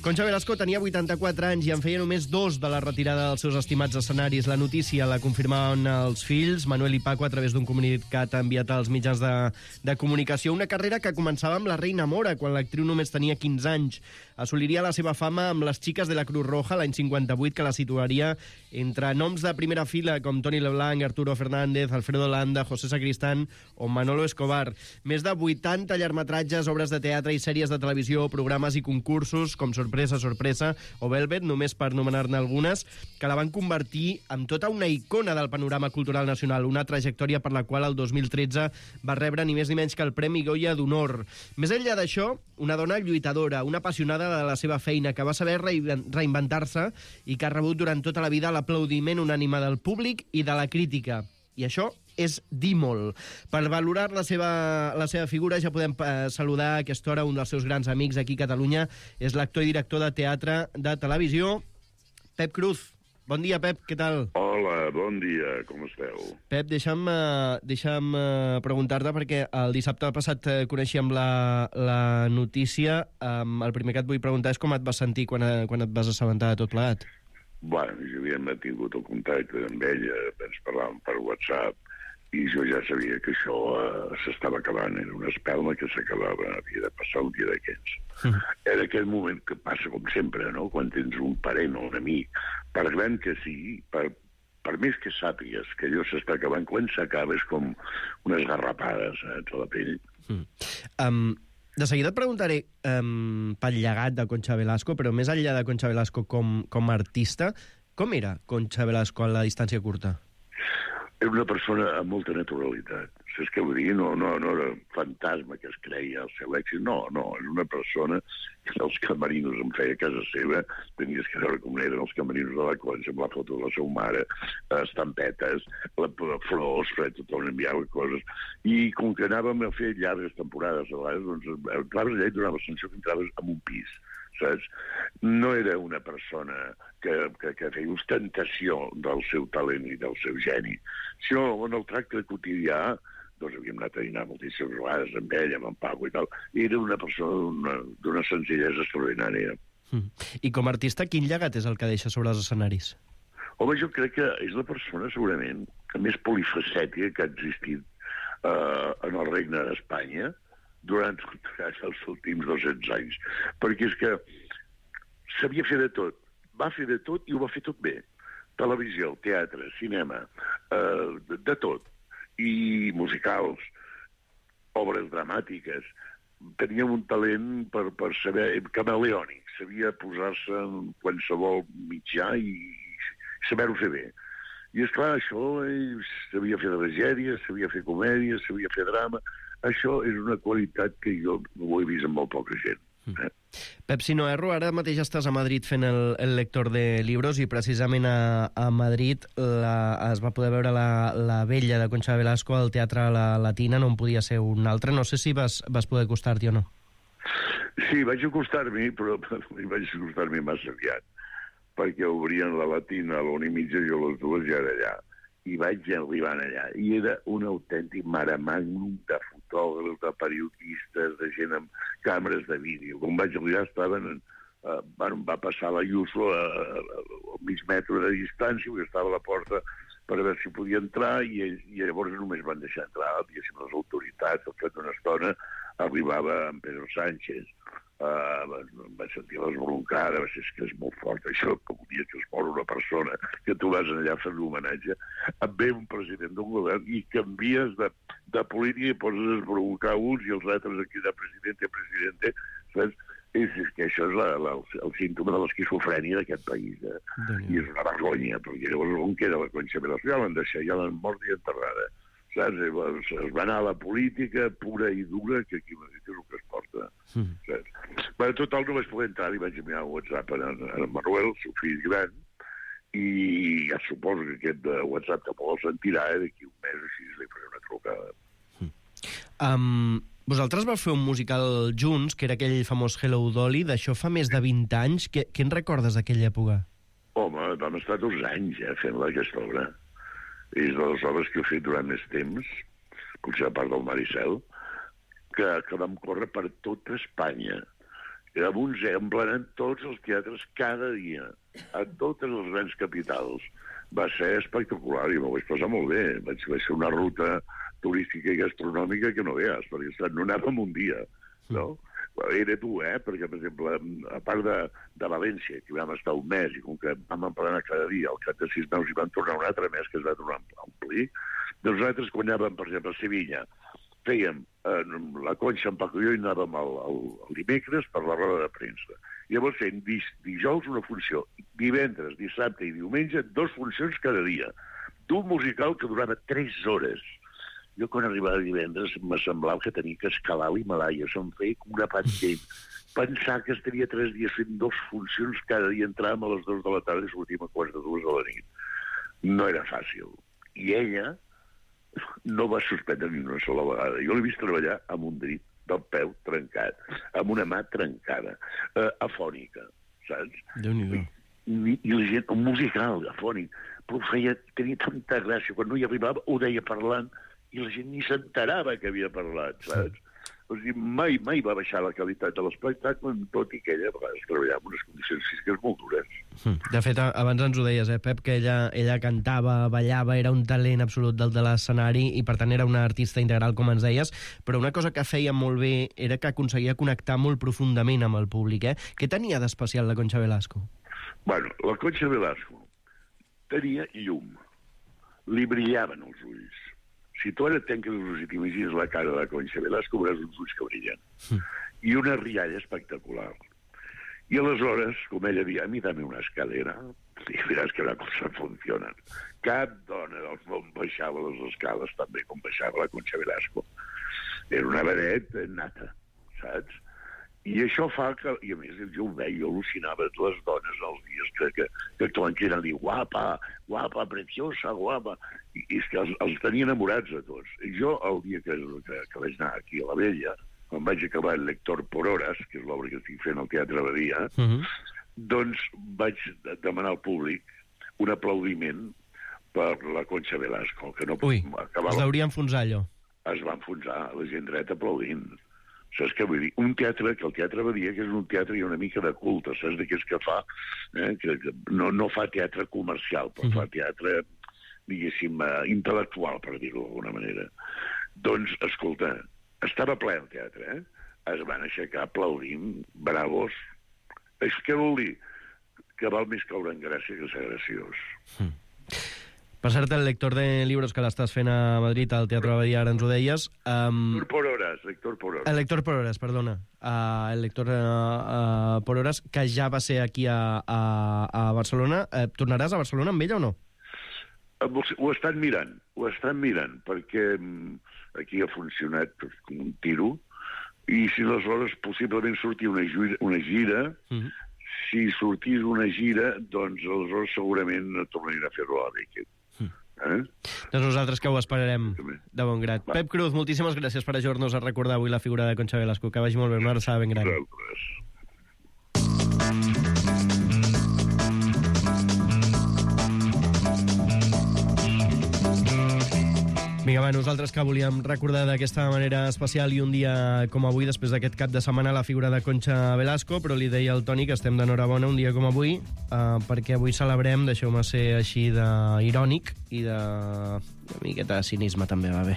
Concha Velasco tenia 84 anys i en feia només 2 de la retirada dels seus estimats escenaris. La notícia la confirmaven els fills, Manuel i Paco, a través d'un comunicat enviat als mitjans de comunicació. Una carrera que començava amb la Reina Mora, quan l'actriu només tenia 15 anys. Assoliria la seva fama amb les Xiques de la Cruz Roja l'any 58, que la situaria entre noms de primera fila com Toni Leblanc, Arturo Fernández, Alfredo Landa, José Sacristán o Manolo Escobar. Més de 80 llargmetratges, obres de teatre i sèries de televisió, programes i concursos com Sorpresa, Sorpresa o Velvet, només per nomenar-ne algunes, que la van convertir en tota una icona del panorama cultural nacional, una trajectòria per la qual el 2013 va rebre ni més ni menys que el Premi Goya d'Honor. Més enllà d'això, una dona lluitadora, una apassionada de la seva feina, que va saber reinventar-se i que ha rebut durant tota la vida l'aplaudiment unànime del públic i de la crítica. I això és dir molt. Per valorar la seva figura ja podem saludar a aquesta hora un dels seus grans amics aquí a Catalunya. És l'actor i director de teatre, de televisió, Pep Cruz. Bon dia, Pep, què tal? Hola, bon dia, com esteu? Pep, deixa'm preguntar-te, perquè el dissabte passat coneixíem la notícia. El primer que et vull preguntar és com et vas sentir quan et vas assabentar de tot plegat. Bueno, jo havia mantingut el contacte amb ella, ens parlàvem per WhatsApp, i jo ja sabia que això s'estava acabant, era una espelma que s'acabava, havia de passar un dia d'aquests. Era aquell moment que passa com sempre, no?, quan tens un parent o un amic, per gran que sigui, per més que sàpigues que allò s'està acabant, quan s'acaba és com unes garrapades a la pell. De seguida et preguntaré pel llegat de Concha Velasco, però més enllà de Concha Velasco com a artista, com era Concha Velasco a la distància curta? Era una persona amb molta naturalitat. Saps què vull dir? No era fantasma que es creia el seu èxit. No, era una persona que els camerinos em feia a casa seva. Tenies que veure com eren els camerinos de la Concha, amb la foto de la seva mare, estampetes, flors, tothom enviava coses. I com que anàvem a fer llargues temporades, a vegades, doncs, entraves allà i donaves sensació que entraves en un pis. Saps? No era una persona que feia ostentació del seu talent i del seu geni. Sinó en el tracte quotidià, doncs havíem anat a dinar moltíssimes vegades amb ell, amb en Paco i tal, i era una persona d'una senzillesa extraordinària. I com a artista, quin llegat és el que deixa sobre els escenaris? Home, jo crec que és la persona, segurament, que més polifacètica que ha existit en el regne d'Espanya, durant els últims 200 anys, perquè és que sabia fer de tot, va fer de tot i ho va fer tot bé. Televisió, teatre, cinema, de tot, i musicals, obres dramàtiques. Tenia un talent per saber, camaleònic, sabia posar-se en qualsevol mitjà i saber-ho fer bé. I esclar, això sabia fer tragèdia, sabia fer comèdia, sabia fer drama. Això és una qualitat que jo ho he vist en molt poca gent. Pep, si no erro, ara mateix estàs a Madrid fent el lector de libros i precisament a Madrid es va poder veure la vella de Concha Velasco al Teatre La Latina, no en podia ser un altre. No sé si vas poder acostar-t'hi o no. Sí, vaig acostar-m'hi, però vaig acostar-m'hi massa aviat, perquè obrien La Latina a l'1:30 i a les 2 ja era allà. I vaig arribar allà, i era un autèntic mare magnum de fotògrafs, de periodistes, de gent amb càmeres de vídeo. Quan vaig arribar estaven... va passar l'Ayuso a mig metre de distància, perquè estava a la porta per veure si podia entrar, i llavors només van deixar entrar, diguéssim, les autoritats. Al cap d'una estona arribava en Pedro Sánchez. Vaig sentir les broncades, és que és molt fort això, que un dia que es mor una persona, que tu vas allà a fer l'homenatge, et ve un president d'un govern i canvies de política i poses a esbroncar uns i els altres aquí de presidente, saps? És que això és el símptoma de l'esquizofrènia d'aquest país, i és una vergonya, perquè llavors on queda la Concha Velasco? Ja l'han deixat, ja l'han mort i enterrada, saps? Es va anar a la política pura i dura, que aquí és el que es porta, saps? Però total no vaig poder entrar, i vaig enviar un WhatsApp a Manuel, el seu fill gran, i ja suposo que aquest WhatsApp tampoc el sentirà, d'aquí un mes o així li faré una trucada. Vosaltres vau fer un musical junts, que era aquell famós Hello Dolly, d'això fa més de 20 anys. Què en recordes d'aquella època? Home, vam estar 2 anys fent aquesta obra. És de les obres que he fet durant més temps, potser a part del Maricel, que vam córrer per tota Espanya. Emplenant tots els teatres cada dia, a totes les grans capitals. Va ser espectacular i m'ho vaig passar molt bé. Vaig fer una ruta turística i gastronòmica que no veus, perquè no anàvem un dia, no? Era dur, perquè, per exemple, a part de València, que vam estar un mes, i com que vam emplenar cada dia, al cap de 6 mesos hi vam tornar un altre mes, que es va tornar a omplir, doncs nosaltres, quan anàvem, per exemple, a Sevilla, fèiem la Concha en Paco i jo i anàvem el dimecres per la roda de premsa. Llavors fèiem dijous una funció, divendres, dissabte i diumenge, 2 funcions cada dia, d'un musical que durava 3 hores. Jo, quan arribava divendres, me semblava que tenia que escalar l'Himalaya. Se'm feia com una pantalla. Pensar que estaria 3 dies fent 2 funcions cada dia, entràvem a les 2 de la tarda i sortíem a 2:15 de la nit. No era fàcil. I ella no va suspendre ni una sola vegada. Jo l'he vist treballar amb un dit del peu trencat, amb una mà trencada, afònica, saps? Déu-n'hi-do. I la gent, un musical afònic, però tenia tanta gràcia. Quan no hi arribava, ho deia parlant, i la gent ni s'enterava que havia parlat, saps? O sigui, mai va baixar la qualitat de l'espectacle, tot i que ella a vegades treballava en unes condicions físiques molt dures. De fet, abans ens ho deies, Pep, que ella cantava, ballava, era un talent absolut del de l'escenari i, per tant, era una artista integral, com ens deies, però una cosa que feia molt bé era que aconseguia connectar molt profundament amb el públic, Què tenia d'especial la Concha Velasco? Bueno, la Concha Velasco tenia llum. Li brillaven els ulls. Si tu ara tanques els ulls i t'imagines la cara de la Concha Velasco, veuràs uns ulls que brillen. I una rialla espectacular. I aleshores, com ella deia, a mi dame una escalera, i veràs que una cosa funciona. Cap dona del món baixava les escales tan bé com baixava la Concha Velasco. Era una vedet nata, saps? I això fa que, i a més jo ho veia, jo al·lucinava les dones els dies que actuaven, que eren dir guapa, guapa, preciosa, guapa, i és que els tenia enamorats a tots. I jo, el dia que vaig anar aquí a la Vella, quan vaig acabar el Lector por Horas, que és l'obra que estic fent al Teatre Badia, doncs vaig demanar al públic un aplaudiment per la Concha Velasco, que no acabava... Es deuria enfonsar allò. Es va enfonsar, la gent dreta aplaudint. Saps què vull dir? Un teatre, que el Teatre Badia, que és un teatre i una mica de culte, saps d'aquells que fa, que no fa teatre comercial, però fa teatre, diguéssim, intel·lectual, per dir-ho d'alguna manera. Doncs, escolta, estava ple el teatre, es van aixecar aplaudint, bravos. Què vol dir? Que val més caure en gràcia que ser graciós. Per cert, el lector de llibres que l'estàs fent a Madrid, al Teatre Badia, ara ens ho deies... Lector por Horas. El Lector por Horas, perdona. El Lector por Horas, que ja va ser aquí a Barcelona. Tornaràs a Barcelona amb ella o no? Ho estan mirant, perquè aquí ha funcionat com un tiro, i I si aleshores possiblement sortia una gira, si sortís una gira, doncs aleshores segurament tornaria a fer-ho a l'Àric. Doncs nosaltres que ho esperarem de bon grat. Pep Cruz, moltíssimes gràcies per ajudar-nos a recordar avui la figura de Concha Velasco. Que vagi molt bé, una abraçada ben gran. Vinga, va, nosaltres que volíem recordar d'aquesta manera especial i un dia com avui, després d'aquest cap de setmana, la figura de Concha Velasco, però li deia al Toni que estem d'enhorabona un dia com avui, perquè avui celebrem, deixeu-me ser així d'irònic i de... una miqueta de cinisme també va bé,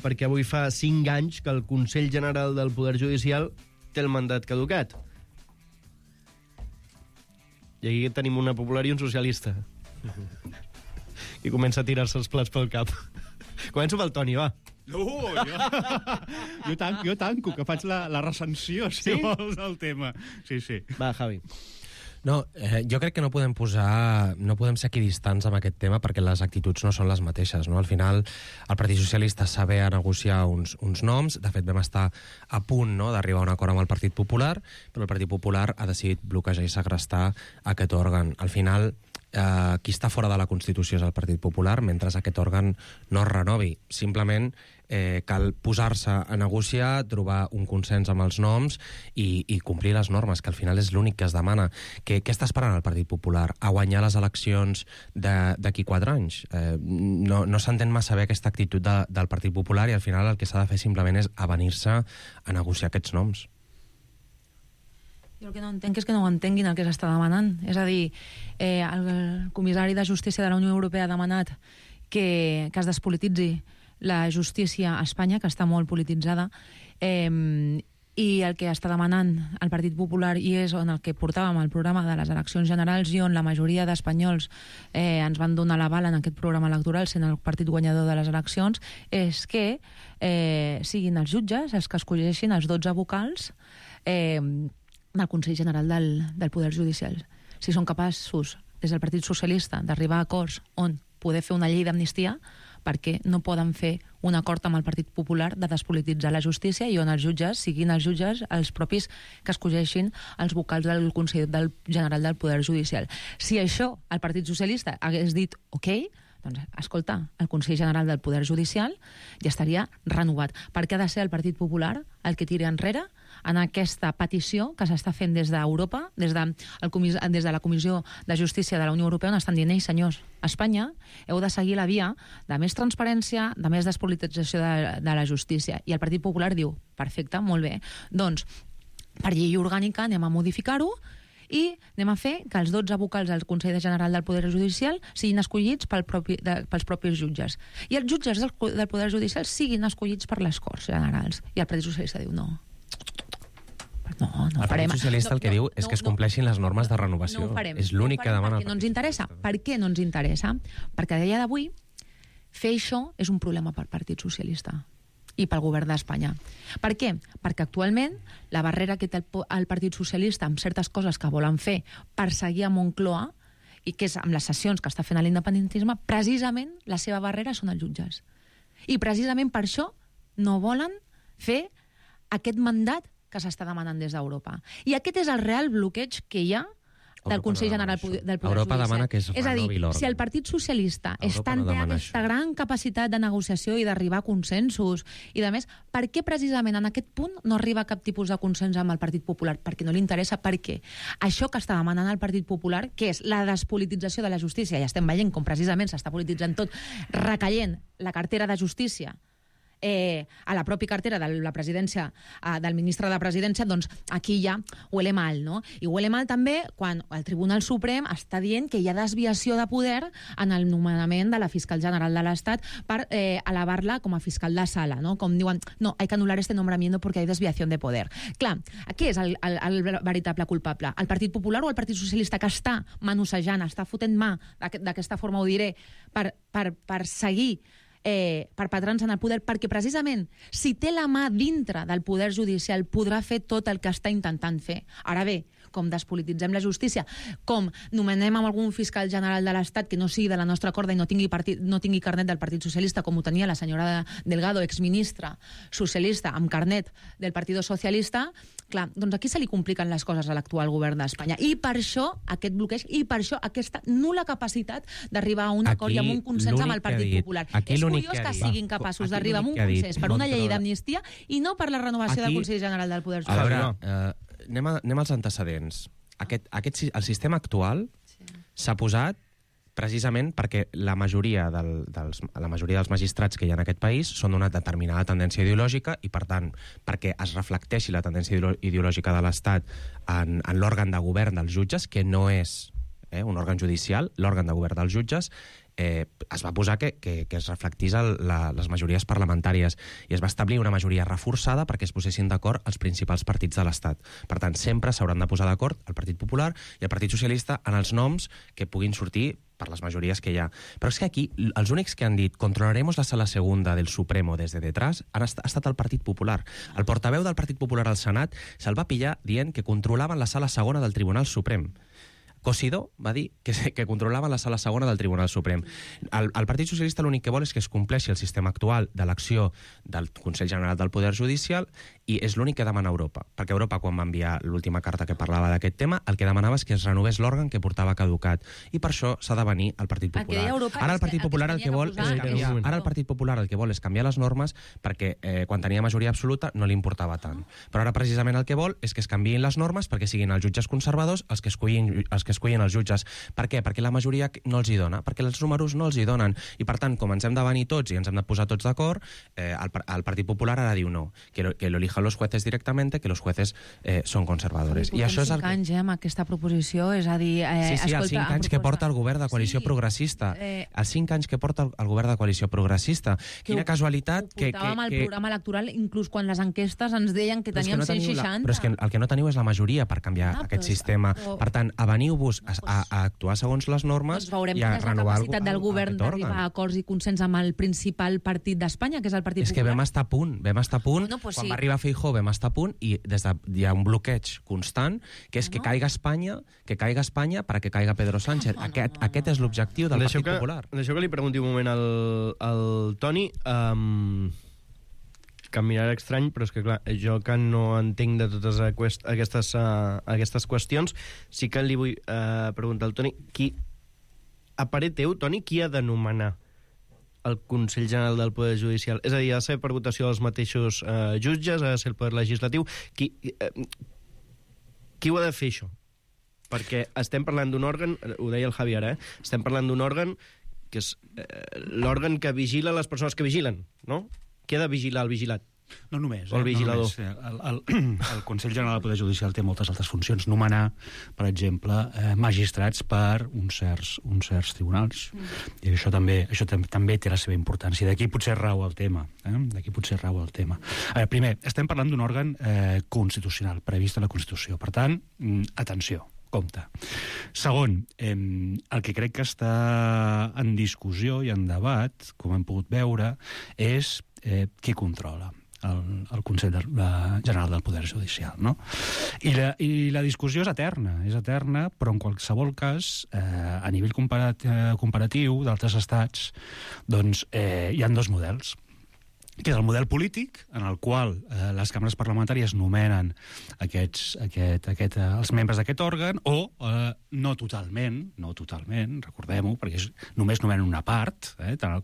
perquè avui fa 5 anys que el Consell General del Poder Judicial té el mandat caducat. I aquí tenim una popular i un socialista. I comença a tirar-se els plats pel cap. Començo pel Toni, va. Jo tanco, que faig la recensió, si vols, del tema. Sí. Va, Javi. No, jo crec que no podem ser equidistants amb aquest tema perquè les actituds no són les mateixes, no? Al final, el Partit Socialista saber a negociar uns noms, de fet vam estar a punt, no?, d'arribar a un acord amb el Partit Popular, però el Partit Popular ha decidit bloquejar i segrestar aquest òrgan. Al final, qui està fora de la Constitució és el Partit Popular, mentre aquest òrgan no es renovi. Simplement cal posar-se a negociar, trobar un consens amb els noms i complir les normes, que al final és l'únic que es demana. Què està esperant el Partit Popular? A guanyar les eleccions d'aquí 4 anys? No s'entén massa bé aquesta actitud del Partit Popular i al final el que s'ha de fer simplement és avenir-se a negociar aquests noms. Jo el que no entenc és que no ho entenguin el que s'està demanant. És a dir, el comissari de Justícia de la Unió Europea ha demanat que es despolititzi la justícia a Espanya, que està molt polititzada, i el que està demanant el Partit Popular, i és on el que portàvem al programa de les eleccions generals i on la majoria d'espanyols ens van donar l'aval en aquest programa electoral, sent el partit guanyador de les eleccions, és que siguin els jutges els que escolleixin els 12 vocals del Consell General del Poder Judicial. Si són capaços, des del Partit Socialista, d'arribar a acords on poder fer una llei d'amnistia, perquè no poden fer un acord amb el Partit Popular de despolititzar la justícia i on els jutges siguin els jutges els propis que escolleixin els vocals del Consell General del Poder Judicial. Si això el Partit Socialista hagués dit ok, doncs, escolta, el Consell General del Poder Judicial ja estaria renovat. Per què ha de ser el Partit Popular el que tiri enrere en aquesta petició que s'està fent des d'Europa, des de la Comissió de Justícia de la Unió Europea, on estan dient, senyors, a Espanya heu de seguir la via de més transparència, de més despolitització de la justícia. I el Partit Popular diu, perfecte, molt bé, doncs, per llei orgànica anem a modificar-ho i anem a fer que els 12 vocals del Consell General del Poder Judicial siguin escollits pels propis jutges. I els jutges del Poder Judicial siguin escollits per les Corts Generals. I el Partit Socialista diu no. No el Partit Socialista el que diu és que es compleixin les normes de renovació. És l'únic que demana. Perquè no ens interessa. Per què no ens interessa? Perquè a dia d'avui fer això és un problema pel Partit Socialista i pel govern d'Espanya. Per què? Perquè actualment la barrera que té el Partit Socialista amb certes coses que volen fer per seguir a Moncloa, i que és amb les sessions que està fent a l'independentisme, precisament la seva barrera són els jutges. I precisament per això no volen fer aquest mandat que s'està demanant des d'Europa. I aquest és el real bloqueig que hi ha del Consell General del Poder Europa Judicial. demana que es és a dir, renovi l'òrgan. si el Partit Socialista Europa no té demana aquesta gran capacitat de negociació i d'arribar a consensos i de més, per què precisament en aquest punt no arriba a cap tipus de consens amb el Partit Popular? Perquè no li interessa. Per què? Això que està demanant el Partit Popular, que és la despolitització de la justícia, i estem veient com precisament s'està polititzant tot, recaient la cartera de justícia a la pròpia cartera de la presidència, del ministre de la presidència, doncs aquí ja huele mal, no? I huele mal també quan el Tribunal Suprem està dient que hi ha desviació de poder en el nomenament de la fiscal general de l'Estat per elevar-la com a fiscal de sala, no? Com diuen, no, hay que anular este nombramiento porque hay desviación de poder. Clar, qui és el veritable culpable? El Partit Popular o el Partit Socialista, que està manossejant, està fotent mà, d'aquesta forma ho diré, per seguir perpetrant-se en el poder, perquè precisament si té la mà dintre del poder judicial podrà fer tot el que està intentant fer. Ara bé, com despolititzem la justícia, com nomenem amb algun fiscal general de l'Estat que no sigui de la nostra corda i no tingui carnet del Partit Socialista, com ho tenia la senyora Delgado, exministra socialista amb carnet del Partit Socialista. Clar, doncs aquí se li compliquen les coses a l'actual govern d'Espanya. I per això aquest bloqueig, i per això aquesta nul·la capacitat d'arribar a un acord i amb un consens amb el Partit Popular. És curiós que siguin capaços d'arribar a un consens per una llei d'amnistia i no per la renovació del Consell General del Poder Judicial. A veure, anem als antecedents. El sistema actual s'ha posat precisament perquè la majoria dels magistrats que hi ha en aquest país són d'una determinada tendència ideològica i, per tant, perquè es reflecteixi la tendència ideològica de l'Estat en l'òrgan de govern dels jutges, que no és un òrgan judicial, l'òrgan de govern dels jutges, es va posar que es reflectís les majories parlamentàries i es va establir una majoria reforçada perquè es posessin d'acord els principals partits de l'Estat. Per tant, sempre s'hauran de posar d'acord el Partit Popular i el Partit Socialista en els noms que puguin sortir per les majories que hi ha. Però és que aquí els únics que han dit controlaremos la sala segunda del Supremo desde detrás ha estat el Partit Popular. El portaveu del Partit Popular al Senat se'l va pillar dient que controlaven la sala segona del Tribunal Suprem. Cosidó va dir que controlaven la sala segona del Tribunal Suprem. El Partit Socialista l'únic que vol és que es compleixi el sistema actual d'elecció del Consell General del Poder Judicial i és l'únic que demana Europa. Perquè Europa, quan va enviar l'última carta que parlava d'aquest tema, el que demanava és que es renovés l'òrgan que portava caducat. I per això s'ha de venir el Partit Popular. Ara el Partit Popular el que vol és canviar. Ara el Partit Popular el que vol és canviar les normes perquè quan tenia majoria absoluta no li importava tant. Però ara precisament el que vol és que es canviïn les normes perquè siguin els jutges conservadors els que escullin els jutges. Per què? Perquè la majoria no els hi dona, perquè els números no els hi donen. I per tant, com ens hem de venir tots i ens hem de posar tots d'acord, el Partit Popular ara diu no, que lo elijan los jueces directamente, que los jueces són conservadores. I això és el 5 anys amb aquesta proposició, és a dir... Sí, els 5 anys que porta el govern de coalició progressista. Els 5 anys que porta el govern de coalició progressista. Quina casualitat que... Ho portàvem al programa electoral, inclús quan les enquestes ens deien que teníem 160. Però és que el que no teniu és la majoria per canviar aquest sistema. Per tant, aveniu-vos a actuar segons les normes i a renovar la capacitat del govern d'arribar a acords i consens amb el principal partit d'Espanya, que és el Partit Popular. És que vam estar a punt, quan va arribar Feijóo vam estar a punt i hi ha un bloqueig constant, que és que caiga Espanya perquè caiga Pedro Sánchez. Aquest és l'objectiu del Partit Popular. Deixeu que li pregunti un moment al Toni, que em mirarà estrany, però és que clar, jo que no entenc de totes aquestes qüestions, sí que li vull preguntar al Toni, a parer teu, Toni, qui ha de nomenar el Consell General del Poder Judicial? És a dir, ha de ser per votació dels mateixos jutges, ha de ser el Poder Legislatiu? Qui ho ha de fer, això? Perquè estem parlant d'un òrgan, ho deia el Javier, estem parlant d'un òrgan que és l'òrgan que vigila les persones que vigilen, no? Qui ha de vigilar el vigilat? No només. O el vigilador. El Consell General del Poder Judicial té moltes altres funcions. Nomenar, per exemple, magistrats per uns certs tribunals. I això també té la seva importància. D'aquí potser rau el tema. Primer, estem parlant d'un òrgan constitucional, previst a la Constitució. Per tant, atenció. Compte. Segon, el que crec que està en discussió i en debat, com hem pogut veure, és qui controla el Consell General del Poder Judicial, no? I la discussió és eterna, però en qualsevol cas, a nivell comparatiu d'altres estats, doncs hi ha dos models. Que és el model polític, en el qual les càmeres parlamentàries nomenen els membres d'aquest òrgan, o no totalment, recordem-ho, perquè només nomenen una part, tant el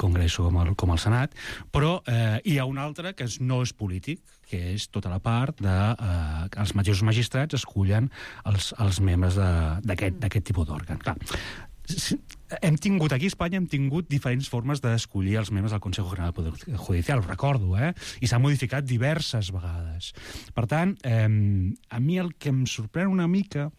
Congrés com el Senat, però hi ha un altre que no és polític, que és tota la part que els mateixos magistrats escullen els membres d'aquest tipus d'òrgan. Clar, aquí a Espanya hem tingut diferents formes d'escollir els membres del Consejo General del Poder Judicial, ho recordo, i s'ha modificat diverses vegades. Per tant, a mi el que em sorprèn una mica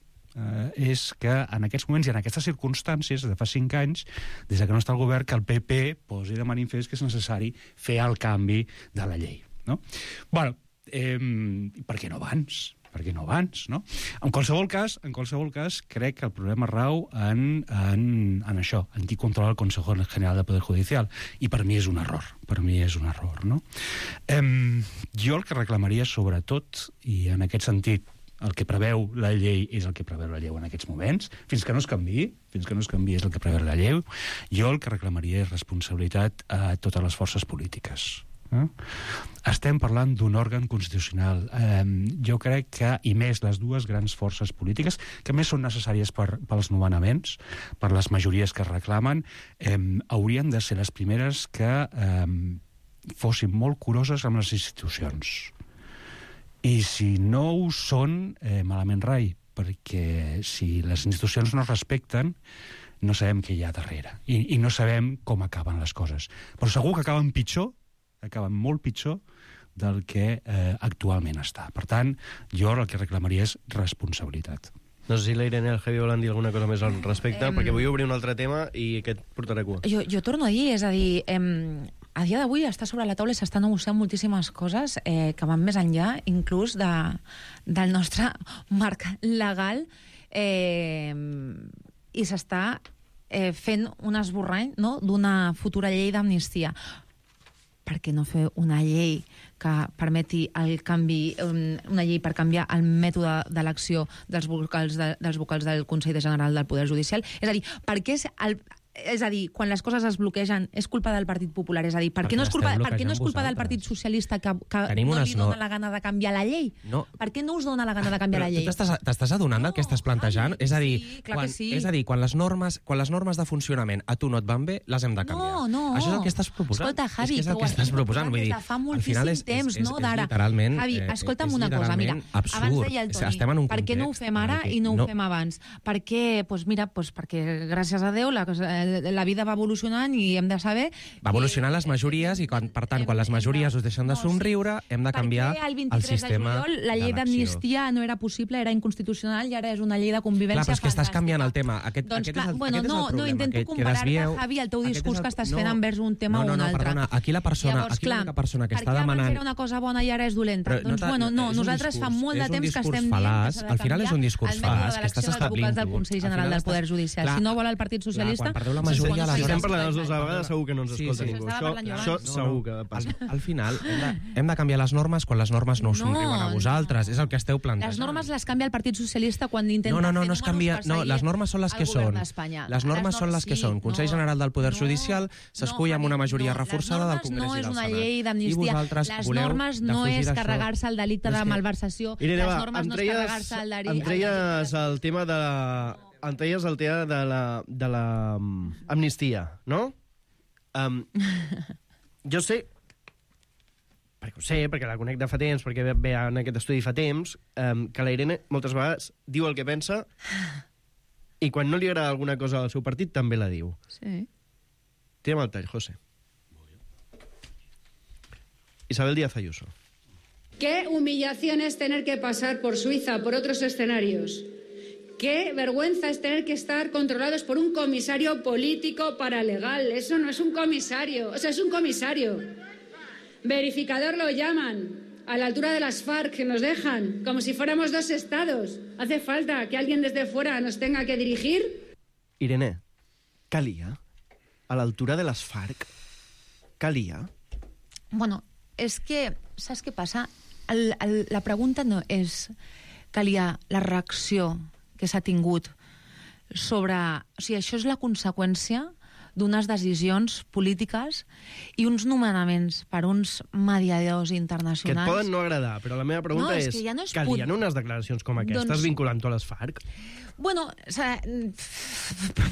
és que en aquests moments i en aquestes circumstàncies, de fa 5 anys, des que no està el govern, que el PP posi de manifest que és necessari fer el canvi de la llei. No? Bueno, per què no abans? No? En qualsevol cas, crec que el problema rau en això, en qui controla el Consejo General del Poder Judicial. I per mi és un error. No? Jo el que reclamaria sobretot, i en aquest sentit El que preveu la llei és el que preveu la llei en aquests moments. Fins que no es canviï és el que preveu la llei. Jo el que reclamaria és responsabilitat a totes les forces polítiques. Estem parlant d'un òrgan constitucional. Jo crec que, i més les dues grans forces polítiques, que més són necessàries pels nomenaments, per les majories que es reclamen, haurien de ser les primeres que fossin molt curoses amb les institucions. I si no ho són, malament rai, perquè si les institucions no es respecten, no sabem què hi ha darrere. I no sabem com acaben les coses. Però segur que acaben pitjor, acaben molt pitjor del que actualment està. Per tant, jo el que reclamaria és responsabilitat. No sé si la Irene i el Javi volen dir alguna cosa més al respecte, perquè vull obrir un altre tema i aquest portarà cua. Jo torno a dir, és a dir, a dia d'avui està sobre la taula i s'està negociant moltíssimes coses que van més enllà, inclús del nostre marc legal, i s'està fent un esborrany, no?, d'una futura llei d'amnistia. Per què no fer una llei que permeti el canvi, una llei per canviar el mètode d'elecció dels vocals del Consell General del Poder Judicial? És a dir, per què és a dir, quan les coses es bloquegen és culpa del Partit Popular? És a dir, per què no és culpa del Partit Socialista que no li dona la gana de canviar la llei? No. Per què no us dona la gana de canviar la llei? Tu t'estàs adonant del que estàs plantejant? És a dir, quan les normes de funcionament a tu no et van bé, les hem de canviar. No. Això és el que estàs proposant. Escolta, Javi, és el que estàs proposant. Vull dir, fa moltíssim temps, no? D'ara. Javi, escolta'm una cosa, mira, abans deia el Toni, per què no ho fem ara i no ho fem abans? Perquè, perquè gràcies a Déu la vida va evolucionant i hem de saber... Va evolucionant les majories i, per tant, quan les majories us deixen de somriure, hem de canviar el sistema d'elecció. La llei d'amnistia no era possible, era inconstitucional i ara és una llei de convivència fantàstica. Clar, però és que estàs canviant el tema. Aquest és el problema. No intento comparar-te, Javi, el teu discurs que estàs fent envers un tema o un altre. Perdona, aquí la persona que està demanant... Per què era una cosa bona i ara és dolenta? Doncs, nosaltres fa molt de temps que estem dient que s'ha de canviar el mètode d'elecció dels vocals del Consell General del Poder Judicial. Si no vol el Partit Socialista... La majoria si estem parlant les dues vegades segur que no ens escolta ningú. Això segur que passa. Al final hem de canviar les normes quan les normes no us somriuen a vosaltres. És el que esteu plantejant. Les normes les canvia el Partit Socialista quan intenta fer números per seguir les normes són les que són. Les normes són les que són. Consell General del Poder Judicial s'escull amb una majoria reforçada del Congrés i del Senat. No és una llei d'amnistia. Les normes no és carregar-se el delicte de malversació. Les normes no és carregar-se el delicte... Em treies el tema de l'amnistia, no? Jo sé, perquè la conec de fa temps, perquè ve en aquest estudi fa temps, que la Irene moltes vegades diu el que pensa i quan no li agrada alguna cosa al seu partit també la diu. Sí. Tira'm el tall, José. Isabel Díaz Ayuso. Qué humillación es tener que pasar por Suiza, por otros escenarios. Qué vergüenza es tener que estar controlados por un comisario político paralegal. Eso no es un comisario, o sea, es un comisario. Verificador lo llaman, a la altura de las FARC, que nos dejan, como si fuéramos dos estados. ¿Hace falta que alguien desde fuera nos tenga que dirigir? Irene, calia? A l'altura de les FARC? Calia? Bueno, és que, saps què passa? La pregunta no és calia la reacció que s'ha tingut sobre... O sigui, això és la conseqüència d'unes decisions polítiques i uns nomenaments per uns mediadors internacionals... Que et poden no agradar, però la meva pregunta és que ja no calien unes declaracions com aquestes vinculant-ho a les FARC? Bueno,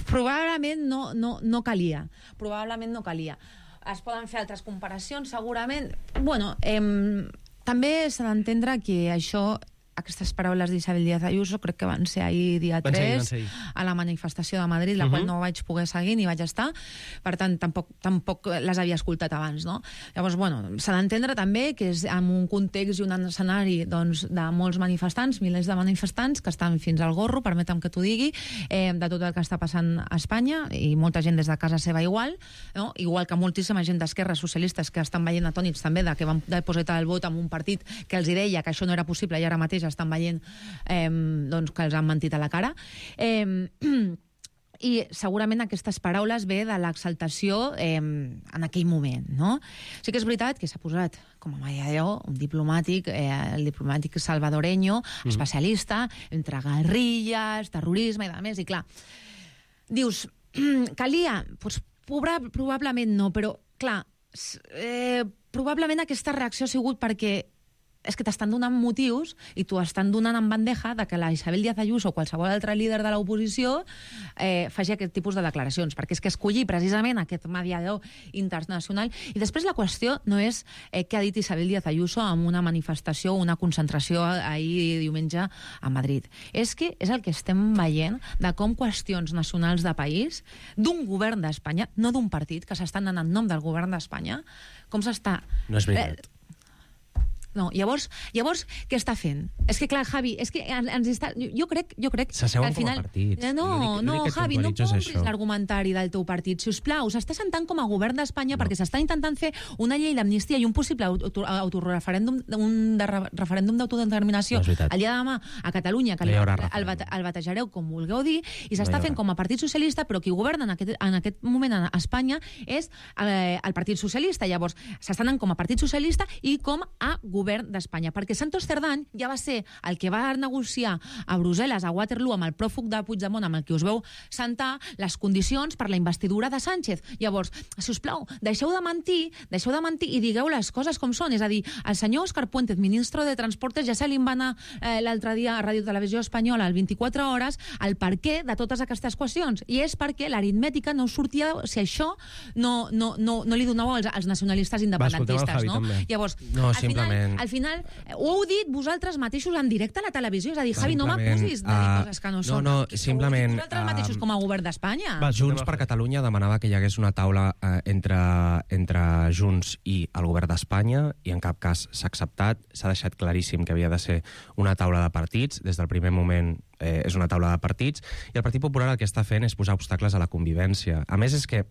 probablement no calia. Probablement no calia. Es poden fer altres comparacions, segurament. Bueno, també s'ha d'entendre que això... Aquestes paraules d'Isabel Díaz Ayuso crec que van ser ahir dia 3 a la manifestació de Madrid, la qual no vaig poder seguir ni vaig estar, per tant tampoc les havia escoltat abans, no? Llavors, bueno, s'ha d'entendre també que és en un context i un escenari doncs, de molts manifestants, milers de manifestants que estan fins al gorro, permetem que t'ho digui, de tot el que està passant a Espanya, i molta gent des de casa seva igual, no? Igual que moltíssima gent d'esquerres socialistes que estan veient atònits també de que van depositar el vot en un partit que els deia que això no era possible i ara mateix estan veient doncs, que els han mentit a la cara. I segurament aquestes paraules ve de l'exaltació en aquell moment, no? Sí que és veritat que s'ha posat com a mediador un diplomàtic, el diplomàtic salvadoreño, especialista entre guerrilles, terrorisme i de més, i clar, dius, calia? Pues, probablement no, però, clar, probablement aquesta reacció ha sigut perquè és que t'estan donant motius i t'ho estan donant en bandeja de que la Isabel Díaz Ayuso o qualsevol altre líder de l'oposició faci aquest tipus de declaracions, perquè és que escollir precisament aquest mediador internacional. I després la qüestió no és què ha dit Isabel Díaz Ayuso en una manifestació o una concentració ahir diumenge a Madrid. És que és el que estem veient de com qüestions nacionals de país, d'un govern d'Espanya, no d'un partit, que s'estan anant en nom del govern d'Espanya, com s'està... No és veritat. No, llavors, què està fent? És que, clar, Javi, és que ens està... Jo crec s'asseuen com a partits. No, Javi, no compris l'argumentari del teu partit, si us plau. S'està sentant com a govern d'Espanya perquè s'està intentant fer una llei d'amnistia i un possible autoreferèndum, un referèndum d'autodeterminació el dia de demà a Catalunya, que el batejareu com vulgueu dir, i s'està fent com a Partit Socialista, però qui governa en aquest moment a Espanya és el Partit Socialista. Llavors, s'està anant com a Partit Socialista i com a govern d'Espanya, perquè Santos Cerdán ja va ser el que va negociar a Brussel·les, a Waterloo, amb el pròfug de Puigdemont, amb el que us veu sentar les condicions per la investidura de Sánchez. Llavors, si us plau, deixeu de mentir i digueu les coses com són. És a dir, el senyor Òscar Puente, ministre de Transportes, ja se li va anar l'altre dia a Ràdio Televisió Espanyola al 24 hores el perquè de totes aquestes qüestions. I és perquè l'aritmètica no sortia si això no li donau als nacionalistes independentistes. Llavors, al final, ho heu dit vosaltres mateixos en directe a la televisió. És a dir, Javi, no m'acusis de dir coses que no són. No, simplement... Vosaltres mateixos com a govern d'Espanya. Junts per Catalunya demanava que hi hagués una taula entre Junts i el govern d'Espanya, i en cap cas s'ha acceptat. S'ha deixat claríssim que havia de ser una taula de partits. Des del primer moment és una taula de partits, i el Partit Popular el que està fent és posar obstacles a la convivència. A més, és que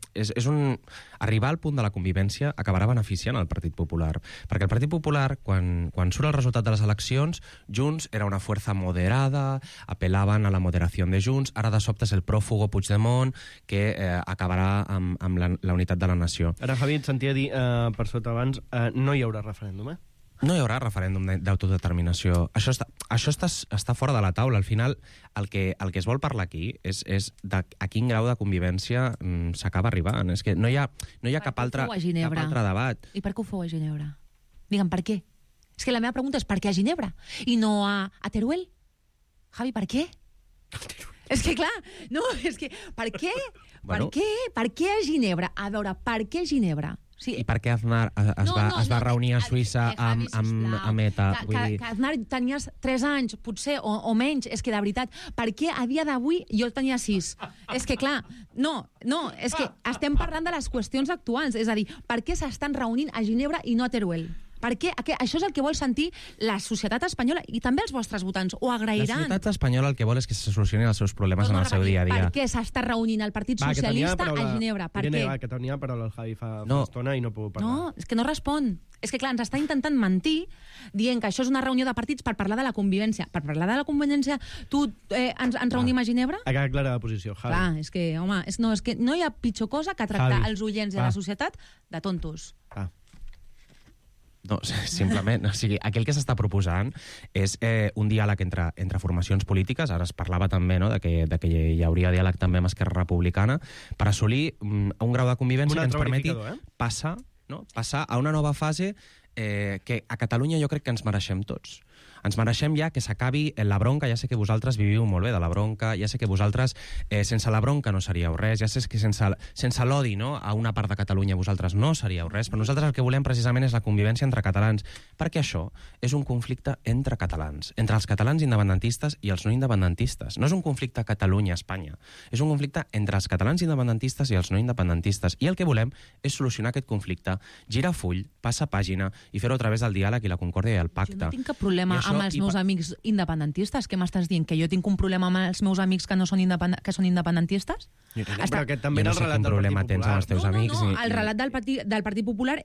arribar al punt de la convivència acabarà beneficiant el Partit Popular, perquè el Partit Popular, quan surt el resultat de les eleccions, Junts era una força moderada, apel·laven a la moderació de Junts, ara de sobte és el pròfugo Puigdemont que acabarà amb la unitat de la nació. Ara, Javi, et sentia dir per sota abans, no hi haurà referèndum, No hi haurà referèndum d'autodeterminació. Això està fora de la taula. Al final, el que es vol parlar aquí és a quin grau de convivència s'acaba arribant. És que no hi ha cap altre debat. I per què ho feu a Ginebra? Digue'm, per què? És que la meva pregunta és per què a Ginebra i no a Teruel? Javi, per què? És que, clar, no, és que... Per què? Per què a Ginebra? A veure, per què a Ginebra? Sí. I per què Aznar es va reunir a Suïssa amb ETA? Que Aznar tenies 3 anys, potser, o menys. És que, de veritat, per què a dia d'avui jo tenia 6? És que, clar, no, és que estem parlant de les qüestions actuals. És a dir, per què s'estan reunint a Ginebra i no a Teruel? Perquè això és el que vol sentir la societat espanyola i també els vostres votants. Ho agrairan. La societat espanyola el que vol és que se solucionin els seus problemes en el seu dia a dia. Per què s'està reunint el Partit Socialista a Ginebra? Per què? Que tenia paraula el Javi fa estona i no puc parlar. No, és que no respon. És que, clar, ens està intentant mentir dient que això és una reunió de partits per parlar de la convivència. Per parlar de la convivència, ens reunim a Ginebra? Ha quedat clara la posició, Javi. Clar, és que, home, és que no hi ha pitjor cosa que tractar els oients i la societat de tontos. No, simplement, o sigui, aquí el que s'està proposant és un diàleg entre formacions polítiques. Ara es parlava també de que hi hauria diàleg també amb Esquerra Republicana per assolir un grau de convivència que ens permeti passar a una nova fase que a Catalunya jo crec que ens mereixem tots. Ens mereixem ja que s'acabi la bronca. Ja sé que vosaltres viviu molt bé de la bronca, ja sé que vosaltres sense la bronca no seríeu res, ja sé que sense l'odi a una part de Catalunya vosaltres no seríeu res, però nosaltres el que volem precisament és la convivència entre catalans, perquè això és un conflicte entre catalans, entre els catalans independentistes i els no independentistes. No és un conflicte Catalunya-Espanya, és un conflicte entre els catalans independentistes i els no independentistes, i el que volem és solucionar aquest conflicte, girar full, passar pàgina i fer-ho a través del diàleg i la concòrdia i el pacte. Jo no tinc cap problema amb els meus amics independentistes. Què m'estàs dient? Que jo tinc un problema amb els meus amics que són independentistes? Però aquest també era el relat del Partit Popular. No, el relat del Partit Popular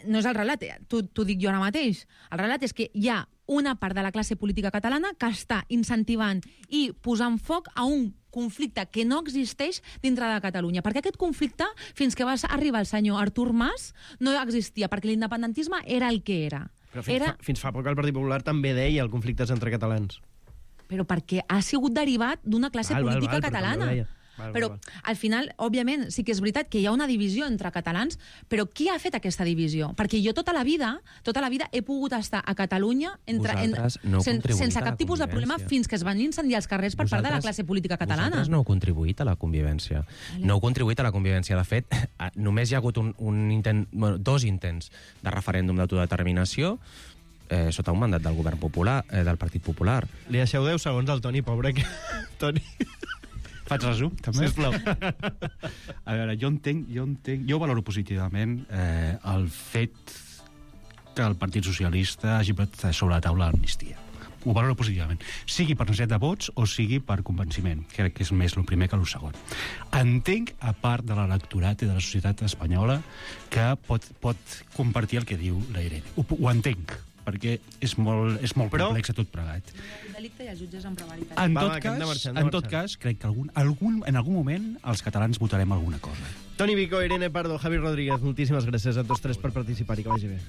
no és el relat, t'ho dic jo ara mateix. El relat és que hi ha una part de la classe política catalana que està incentivant i posant foc a un conflicte que no existeix dintre de Catalunya. Perquè aquest conflicte, fins que va arribar el senyor Artur Mas, no existia, perquè l'independentisme era el que era. Però fins fa poc el Partit Popular també deia el conflicte és entre catalans. Però perquè ha sigut derivat d'una classe política catalana. Però al final, òbviament, sí que és veritat que hi ha una divisió entre catalans, però qui ha fet aquesta divisió? Perquè jo tota la vida he pogut estar a Catalunya sense cap tipus de problema fins que es van incendiar els carrers per part de la classe política catalana. Vosaltres no heu contribuït a la convivència. No heu contribuït a la convivència. De fet, només hi ha hagut dos intents de referèndum d'autodeterminació sota un mandat del govern popular, del Partit Popular. Li deixeu 10 segons al Toni, pobre. Toni... Faig resum, també? Sisplau. A veure, jo valoro positivament el fet que el Partit Socialista hagi posat sobre la taula l'amnistia. Ho valoro positivament. Sigui per necessitat de vots o sigui per convenciment. Crec que és més el primer que el segon. Entenc, a part de l'electorat i de la societat espanyola, que pot compartir el que diu la Irene. Ho entenc, perquè és molt complex tot plegat. Un delicte i els jutges en prevaritat. En tot cas, crec que en algun moment els catalans votarem alguna cosa. Toni Vico, Irene Pardo, Javi Rodríguez, moltíssimes gràcies a tots tres per participar i que vagi bé.